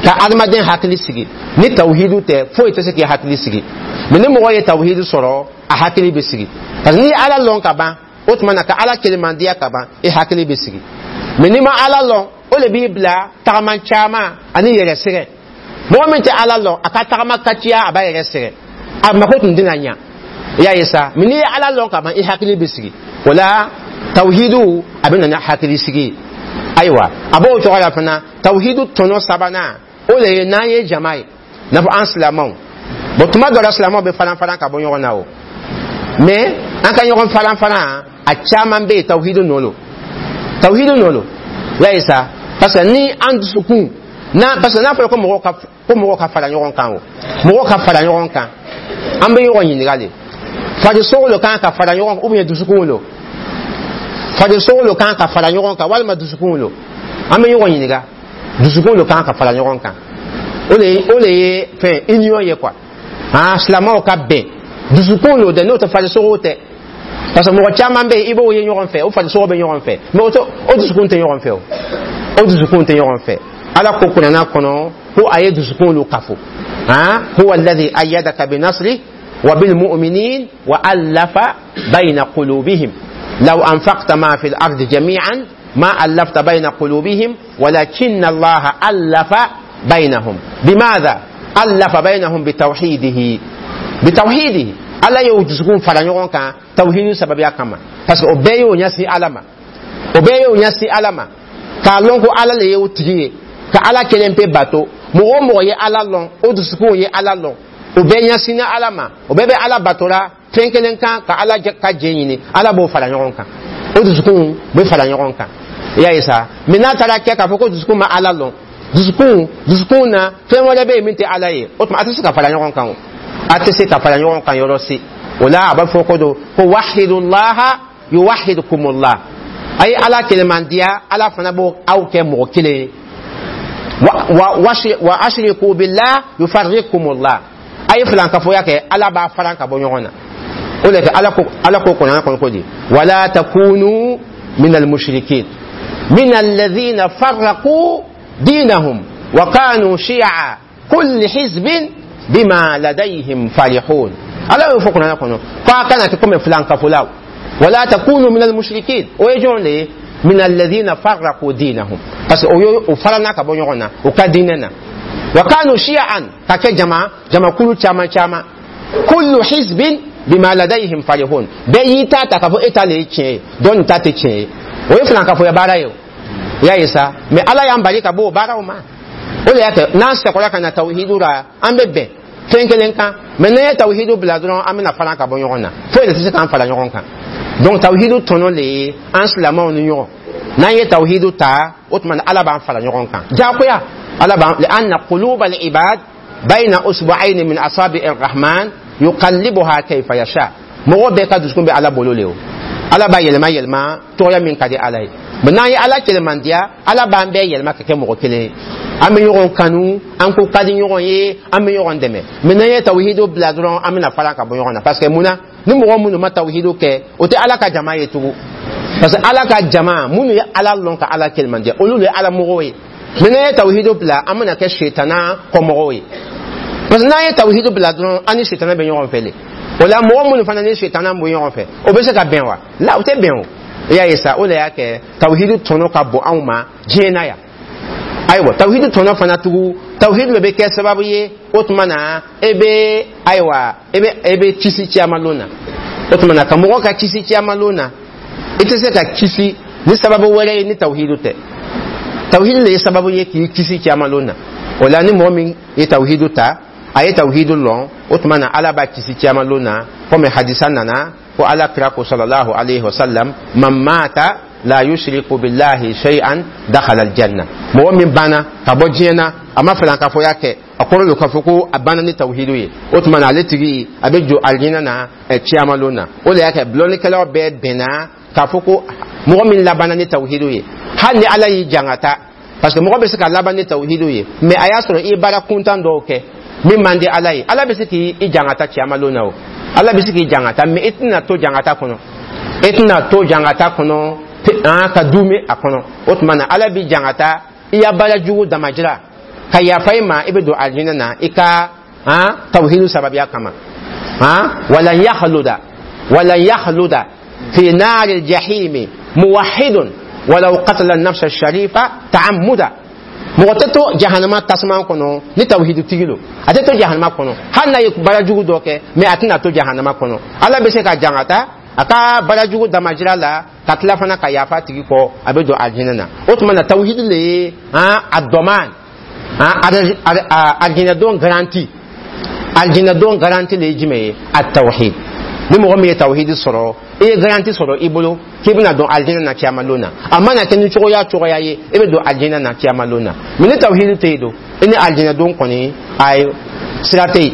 ka adamaden hakili sigi ni tawhidu tɛ, foyi tɛ se k'i hakili sigi. Mɛ ni mɔgɔ ye tawhidu sɔrɔ, a hakili bɛ sigi, parce que n'i ye Ala lɔn ka ban, o tuma na ka Ala kelemandiya ka ban, i hakili bɛ sigi. Mɛ n'i ma Ala lɔn, o de b'i bila tagama caman ani yɛrɛ sɛgɛn. Mɔgɔ min tɛ Ala lɔn, a ka tagama ka ciya, a b'a yɛrɛ sɛgɛn, a mako tun tɛna ɲa. I y'a ye sa? Mɛ n'i ye Ala lɔn ka ban, i hakili bɛ sigi. O la tawhidu a bɛ na ni hakili sigi ye. Ayiwa, a b'o cogo la fana. Tawhidu tɔnɔ sabanan, o de ye n'an ye jama ye, n'a fɔ an silamɛw. Bon, tuma dɔ la silamɛw bɛ faran faran ka bɔ ɲɔgɔn na o, mɛ an ka ɲɔgɔn faran faran, a caman bɛ yen, tawhidu nɔ lo, tawhidu nɔ lo. I y'a ye sa? Parce que ni an dusukun n'a, parce que n'a fɔra ko mɔgɔw ka ko mɔgɔw ka fara ɲɔgɔn kan, o mɔgɔw ka fara ɲɔgɔn kan, an bɛ ɲɔgɔn ɲininka de: farisogo lo kan ka fara ɲɔgɔn kan, ou bien dusukun lo? Farisogo lo kan ka fara ɲɔgɔn kan, walima dusukun lo? An bɛ ɲɔgɔn ɲininka. Dusukun lo kan ka fara ɲɔgɔn kan. O de ye o de ye fɛn union ye quoi. Han, silamɛw ka bɛn, dusukun lo dɛ, n'o tɛ, farisogo tɛ. Parce que mɔgɔ caman bɛ yen, i b'o ye ɲɔgɔn fɛ, o farisogo bɛ ɲɔgɔn fɛ, mɛ o tɛ, o dusukun tɛ ɲɔgɔn fɛ. O o dusukun tɛ ɲɔgɔn fɛ. Ala ko kuranna kɔnɔ ko a ye dusukun lo kafo. Han, huwa alladhi ayyadaka bi nasri wa bil mu'minin wa allafa bayna qulubihim law anfaqta ma fil ardi jami'an ma allafta bayna qulubihim walakinna allaha allafa baynahum. Bimadha allafa baynahum? Bitawhidihi, bitawhidihi. Ala y'o dusukun fara ɲɔgɔn kan tawhidu sababuya kama, parce que o bɛɛ y'o ɲɛsin Ala ma, o bɛɛ y'o ɲɛsin Ala ma, k'a lɔn ko Ala le ye o tigi ye, ka Ala kelen pe bato. Mɔgɔ o mɔgɔ ye Ala lɔn, o dusukun ye Ala lɔn, o bɛɛ ɲɛsinna Ala ma, o bɛɛ bɛ Ala batora fɛn kelen kan, ka Ala ka jɛ ɲini, Ala b'o fara ɲɔgɔn kan, o dusukun bɛ fara ɲɔgɔn kan. I y'a ye sa? Mɛ n'a taara kɛ k'a fɔ ko dusukun ma Ala lɔn, dusukun dusukun na fɛn wɛrɛ bɛ yen min tɛ Ala ye, o tuma a tɛ se ka fara ɲɔgɔn kan. O a tɛ se ka fara ɲɔgɔn kan yɔrɔ si. O la a b'a fɔ ko do ko wahidullaha yuwahidukumullah, a ye Ala kelemandiya, Ala fana b'o aw kɛ mɔgɔ kelen ye. Wa wa wa ashriku billah yufarrikumullah, a ye filankafoya kɛ, Ala b'a faran ka bɔ ɲɔgɔn na. O de kɛ Ala ko, Ala ko kuranɛ kɔnɔ ko di: wala takunu min almushrikin min alladhina farraqu dinahum wa kanu shi'a kulli hizbin bima ladayhim farihun. Ala y'o fɔ kuranɛ kɔnɔ ko a kana kɛ komi filankafolaw. Wala takunu min almushrikin, o ye jɔn de ye? Min alladhina farraqu dinahum, parce que o ye o farana ka bɔ ɲɔgɔn na o ka diinɛ na. Wa kanu shi'an, ka kɛ jama jamakulu caman caman. Kullu hizbin bima ladayhim farihun, bɛɛ y'i ta ta k'a fɔ e ta le ye tiɲɛ ye, dɔ nin ta tɛ tiɲɛ ye. O ye filankafoya baara ye o. I y'a ye sa? Mɛ Ala y'an bali ka bɔ o baaraw ma. O de y'a kɛ n'an sɛkɔla ka na tawhidu la, an bɛ bɛn fɛn kelen kan. Mɛ n'an ye tawhidu bila dɔrɔn, an bɛna fara ka bɔ ɲɔgɔn na, foyi de tɛ se k'an fara ɲɔgɔn kan. Donc tawhidu tɔnɔ le ye an silamɛw ni ɲɔgɔn. N'an ye tawhidu ta, o tuma Ala b'an fara ɲɔgɔn kan jagoya. Ala b'an li'anna quluba al-ibad bayna usbu'ayni min asabi ar-rahman yuqallibuha kayfa yasha. Mɔgɔ bɛɛ ka dusukun bɛ Ala bolo le. O Ala b'a yɛlɛma yɛlɛma tɔgɔya min ka di Ala ye. Mais n'an ye Ala kelemandiya, Ala b'an bɛɛ yɛlɛma ka kɛ mɔgɔ kelen ye. An bɛ ɲɔgɔn kanu, an ko ka di ɲɔgɔn ye, an bɛ ɲɔgɔn dɛmɛ. Mais n'an ye tawhidu bila dɔrɔn, an bɛna fara ka bɔ ɲɔgɔn na, parce que mun na? Ni mɔgɔ minnu ma tawhidu kɛ, o tɛ Ala ka jama ye tugun, parce que Ala ka jama minnu ye Ala lɔn ka Ala kelemandiya, olu de ye Ala mɔgɔw ye. Mais n'an ye tawhidu bila, an bɛna kɛ setana kɔmɔgɔw ye, parce que n'an ye tawhidu bila dɔrɔn, an ni setana bɛ ɲɔgɔn fɛ le. O la, mɔgɔ minnu fana ni setana bɛ ɲɔgɔn fɛ, o bɛ se ka bɛn wa? La, o tɛ bɛn o. I y'a ye sa, o de y'a kɛ tawhidu tɔnɔ ka bon anw ma diɲɛ na yan. Ayiwa, tawhidu tɔnɔ fana tugun, tawhidu de bɛ kɛ sababu ye, o tuma na e bɛ, ayiwa, e bɛ e bɛ kisi caman na. O tuma na, ka mɔgɔ ka kisi caman na, i tɛ se ka kisi ni sababu wɛrɛ ye ni tawhidu tɛ. Tawhidu de ye sababu ye k'i kisi caman na. O la, ni mɔgɔ min ye tawhidu ta, a ye tawhidu lɔn, o tuma na Ala b'a kisi caman na, komi hadisa nana ko Ala kira ko sallallahu alaihi wasallam: man mata la yushriku billahi shay'an dakhala aljanna. Mɔgɔ min banna ka bɔ diɲɛ na, a ma filankafoya kɛ, a kɔrɔ don k'a fɔ ko a banna ni tawhidu ye, o tuma na ale tigi a bɛ jɔ alijinɛ na ciyama lon na. O de y'a kɛ lɔnnikɛlaw bɛɛ bɛnna k'a fɔ ko mɔgɔ min labanna ni tawhidu ye, hali ni Ala y'i jangata, parce que mɔgɔ bɛ se ka laban ni tawhidu ye, mais a y'a sɔrɔ i ye baara kuntan dɔw kɛ min man di Ala ye, Ala bɛ se k'i jangata ciyama lon na. O Ala bɛ se k'i jangata, mais i tɛna to jangata kɔnɔ, i tɛna to jangata kɔnɔ an ka dume a kɔnɔ. O tuma na Ala b'i jangata i ya baara jugu damajira ka yafa i ma, i bɛ don alijinɛ na i ka han tawhidu sababuya kama. Han walan yakhluda walan yakhluda fi nari jahimi muwahidun walau qatala nafsa sharifa ta'ammuda. Mɔgɔ tɛ to jahanama tasuma kɔnɔ ni tawhidu tigi lo. A tɛ to jahanama kɔnɔ hali n'a ye baara jugu dɔ kɛ, mais a tɛna to jahanama kɔnɔ. Ala bɛ se ka jangata a ka baara jugu damajira la, ka tila fana ka yafa tigi kɔ, a bɛ don alijinɛ na. O tuma na, tawhidu de ye han a dɔman han alijinɛ garanti. Alijinɛ don garanti de ye jumɛn ye? A tawhid. Ni mɔgɔ min ye tawhidi sɔrɔ, i ye garanti sɔrɔ i bolo k'i bɛna don alijinɛ na ciyama lon na. A mana kɛ ni cogoya cogoya ye, i bɛ don alijinɛ na ciyama lon na. Mais ni tawhidi tɛ yen don, i ni alijinɛ don kɔni, ayi, sira tɛ yen.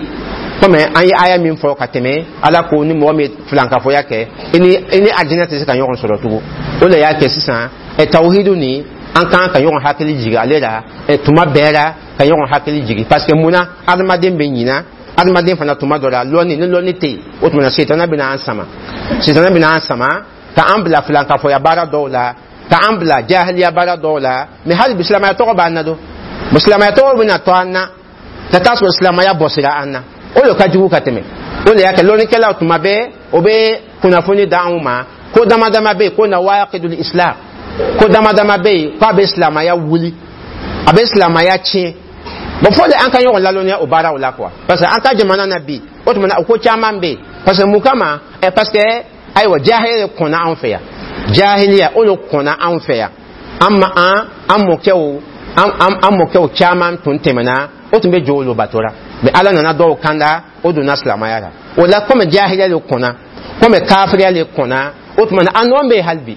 Komi an ye aya min fɔ ka tɛmɛ, Ala ko ni mɔgɔ min ye filankafoya kɛ, i ni i ni alijinɛ tɛ se ka ɲɔgɔn sɔrɔ tugun. O de y'a kɛ sisan ɛ tawhidu ni an kan ka ɲɔgɔn hakili jigin ale la ɛ tuma bɛɛ la, ka ɲɔgɔn hakili jigin, parce que munna? Adamaden bɛ ɲina, adamaden fana tuma dɔ la, lɔnni ni lɔnni tɛ yen, o tuma na setana bɛna an sama, setana bɛna an sama ka an bila filankafoya baara dɔw la, ka an bila jahiliya baara dɔw la. Mais hali bi silamɛya tɔgɔ b'an na don, silamɛya tɔgɔ bɛna to an na ka taa sɔrɔ silamɛya bɔsira an na. O de ka jugu ka tɛmɛ. O de y'a kɛ lɔnnikɛlaw tuma bɛɛ o bɛ kunnafoni d'anw ma ko dama dama bɛ yen, ko nawaqidul islam, ko dama dama bɛ yen k'a bɛ silamɛya wuli, a bɛ silamɛya tiɲɛ. Bon, fo de an ka ɲɔgɔn lalɔnniya o baaraw la quoi, parce que an ka jamana na bi, o tuma na o ko caman bɛ yen. Parce que mun kama? Ɛ parce que ayiwa, jahiliya de kɔnna anw fɛ yan, jahiliya o de kɔnna anw fɛ yan. An ma an an mɔkɛw an an an mɔkɛw caman tun tɛmɛna, o tun bɛ jɔ olu bato la, mais Ala nana dɔw kanda, o donna silamɛya la. O la, komi jahiliya de kɔnna, komi kafiriya de kɔnna, o tuma na an nɔ bɛ yen hali bi,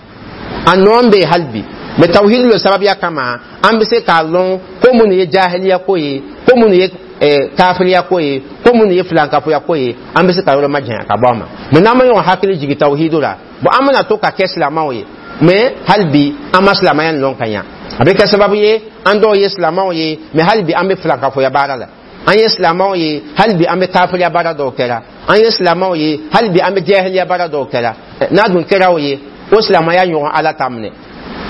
an nɔ bɛ yen hali bi. Mais tawhidi le sababuya kama, an bɛ se k'a lɔn ko minnu ye jahiliya ko ye, ko minnu ye eh, kafiriya ko ye, ko minnu ye filankafoya ko ye, an bɛ se ka yɔrɔ majanya ka bɔ a ma. Mais n'an ma ɲɔgɔn hakili jigin tawhidu la, bon, an bɛna to ka kɛ silamɛw ye, mais hali bi an ma silamɛya lɔn ka ɲa. A bɛ kɛ sababu ye an dɔw ye silamɛw ye, mais hali bi an bɛ filankafoya baara la. An ye silamɛw ye, hali bi an bɛ kafiriya baara dɔw kɛra. An ye silamɛw ye, hali bi an bɛ jahiliya baara dɔw kɛra. N'a dun kɛra o ye, o silamɛya ɲɔgɔn Ala t'a minɛ.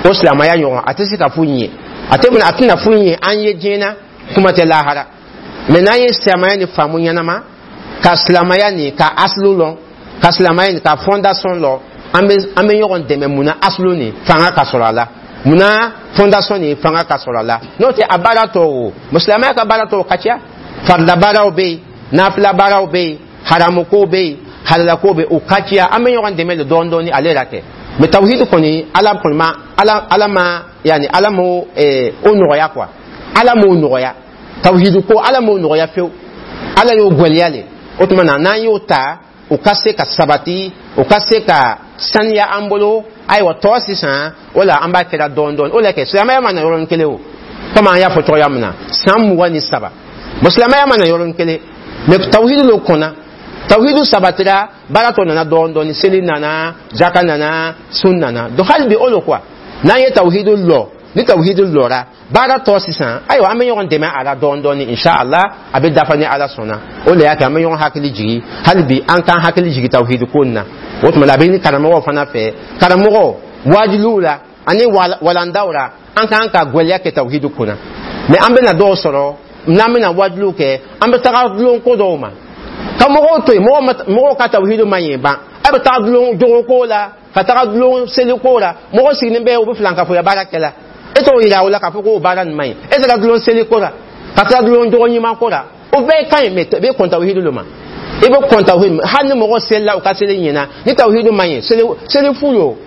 O silamɛya ɲɔgɔn a tɛ se ka foyi ɲɛ, a tɛ a tɛna foyi ɲɛ an ye diɲɛ na, kuma tɛ lahara. Mais n'an ye silamɛya ni faamu ɲɛnama, ka silamɛya ni ka asulu lɔn, ka silamɛya ni ka fondation lɔn, an bɛ an bɛ ɲɔgɔn dɛmɛ. Munna? Asulu ni fanga ka sɔrɔ a la. Munna? Fondation ni fanga ka sɔrɔ a la. N'o tɛ, a baara tɔw o, silamɛya ka baara tɔw ka ca. Farida baaraw bɛ yen, nafila baaraw bɛ yen, haramuko bɛ yen, halalako bɛ yen, o ka ca. An bɛ ɲɔgɔn dɛmɛ de dɔɔni dɔɔni ale la kɛ. Mais tawhid kɔni, Ala kɔni ma, ala ala ma, yani Ala m'o eh, o nɔgɔya quoi. Ala m'o nɔgɔya, tawhid ko Ala m'o nɔgɔya fewu, Ala y'o gwɛlɛya le. O tuma na, n'an y'o ta, o ka se ka sabati, o ka se ka saniya an bolo. Ayiwa, tɔ sisan o la, an b'a kɛra dɔɔni dɔɔni. O la kɛ silamɛya ma na yɔrɔnin kelen o, komi an y'a fɔ cogoya min na, san mugan ni saba, bon, silamɛya ma na yɔrɔnin kelen. Mais tawhid lo kɔnna, tawhidu sabatira, baara tɔ nana dɔɔni dɔɔni, seli nana, zaka nana, sun nana. Donc hali bi o lo quoi. N'an ye tawhidu lɔ, ni tawhidu lɔra, baara tɔ sisan, ayiwa, an bɛ ɲɔgɔn dɛmɛ a la dɔɔni dɔɔni, inshallah a bɛ dafa ni Ala sɔnna. O de y'a kɛ an bɛ ɲɔgɔn hakili jigi hali bi, an k'an hakili jigi tawhidu ko in na. O tuma la, a bɛ ɲini karamɔgɔw fana fɛ, karamɔgɔ wajuliw la ani walandaw la, an k'an ka gwɛlɛya kɛ tawhidu kunna. Mais an bɛna dɔw sɔrɔ, n'an bɛna wajuliw kɛ, an bɛ taga dulon ko dɔw ma ka mɔgɔw to yen. Mɔgɔw ka tawhidu ma ɲɛ ban, a bɛ taga dulon jogoko la, ka taga dulon seliko la. Mɔgɔ sigilen bɛ, u bɛ filankafoya baara kɛ la, e t'o yira o la k'a fɔ k'o baara nin man ɲi. E taara dulon seliko la, ka taga dulon jogo ɲuman ko la, o bɛɛ ka ɲi, mais i bɛ kɔn tawhidu de ma, i bɛ kɔn tawhidu. Hali ni mɔgɔ selila, u ka seli ɲɛna, ni tawhidu man ɲi, seli seli fu yo.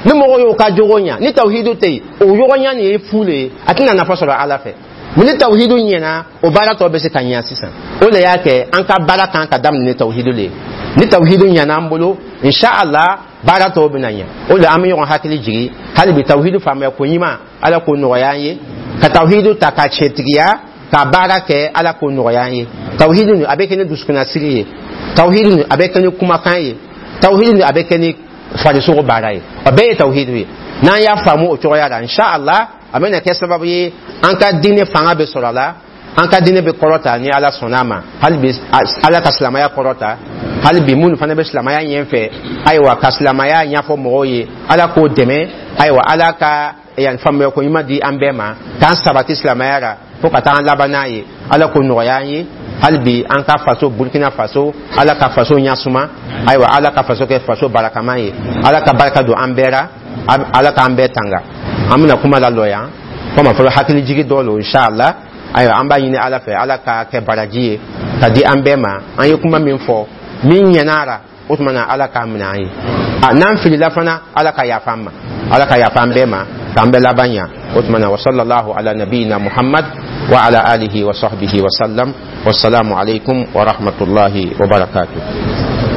Ni mɔgɔ y'o ka jogo ɲa, ni tawhidu tɛ yen, o jogo ɲa nin ye fu le ye, a tɛna nafa sɔrɔ Ala fɛ. Mais ni tawhidu ɲɛna, o baara tɔ bɛ se ka ɲa sisan. O de y'a kɛ an ka baara kan ka daminɛ ni tawhidu le ye. Ni tawhidu ɲɛna an bolo, inshallah baara tɔw bɛna ɲɛ. O de an bɛ ɲɔgɔn hakili jigi hali bi, tawhidu faamuya ko ɲuman, Ala k'o nɔgɔya an ye, ka tawhidu ta ka tiɲɛtigiya ka baara kɛ, Ala k'o nɔgɔya an ye. Tawhidu nin, a bɛ kɛ ni dusukunnasiri ye, tawhidu nin, a bɛ kɛ ni kumakan ye, tawhidu nin, a bɛ kɛ ni farisogo baara ye, o bɛɛ ye tawhidu ye. N'an y'a faamu o cogoya la, inshallah a bɛna kɛ sababu ye an ka diinɛ fanga bɛ sɔrɔ a la, an ka diinɛ bɛ kɔrɔta ni Ala sɔnna a ma. Hali bi Ala ka silamɛya kɔrɔta, hali bi minnu fana bɛ silamɛya ɲɛfɛ, ayiwa, ka silamɛya ɲɛfɔ mɔgɔw ye, Ala k'o dɛmɛ. Ayiwa, Ala ka yan faamuya ko ɲuman di an bɛɛ ma, k'an sabati silamɛya la fo ka taa an laban n'a ye. Ala k'o nɔgɔya an ye. Hali bi an ka faso Burkina Faso, Ala ka faso ɲasuma. Ayiwa, Ala ka faso kɛ faso barakama ye. Ala ka barika don an bɛɛ la, Ala k'an bɛɛ tanga. An bɛna kuma lalɔ yan komi fɔlɔ hakili jigi dɔ lo, inshallah. Ayiwa, an b'a ɲini Ala fɛ, Ala ka kɛ baraji ye ka di an bɛɛ ma. An ye kuma min fɔ, min ɲɛna la, o tuma na Ala k'a minɛ an ye. A n'an filila fana, Ala ka yafa an ma, Ala ka yafa an bɛɛ ma, k'an bɛɛ laban ɲa. O tuma na, wa sallallahu ala nabiyina Muhammad wa ala alihi wa sahbihi wa sallam. Wassalamu alaikum wa rahmatullahi wa barakatuh.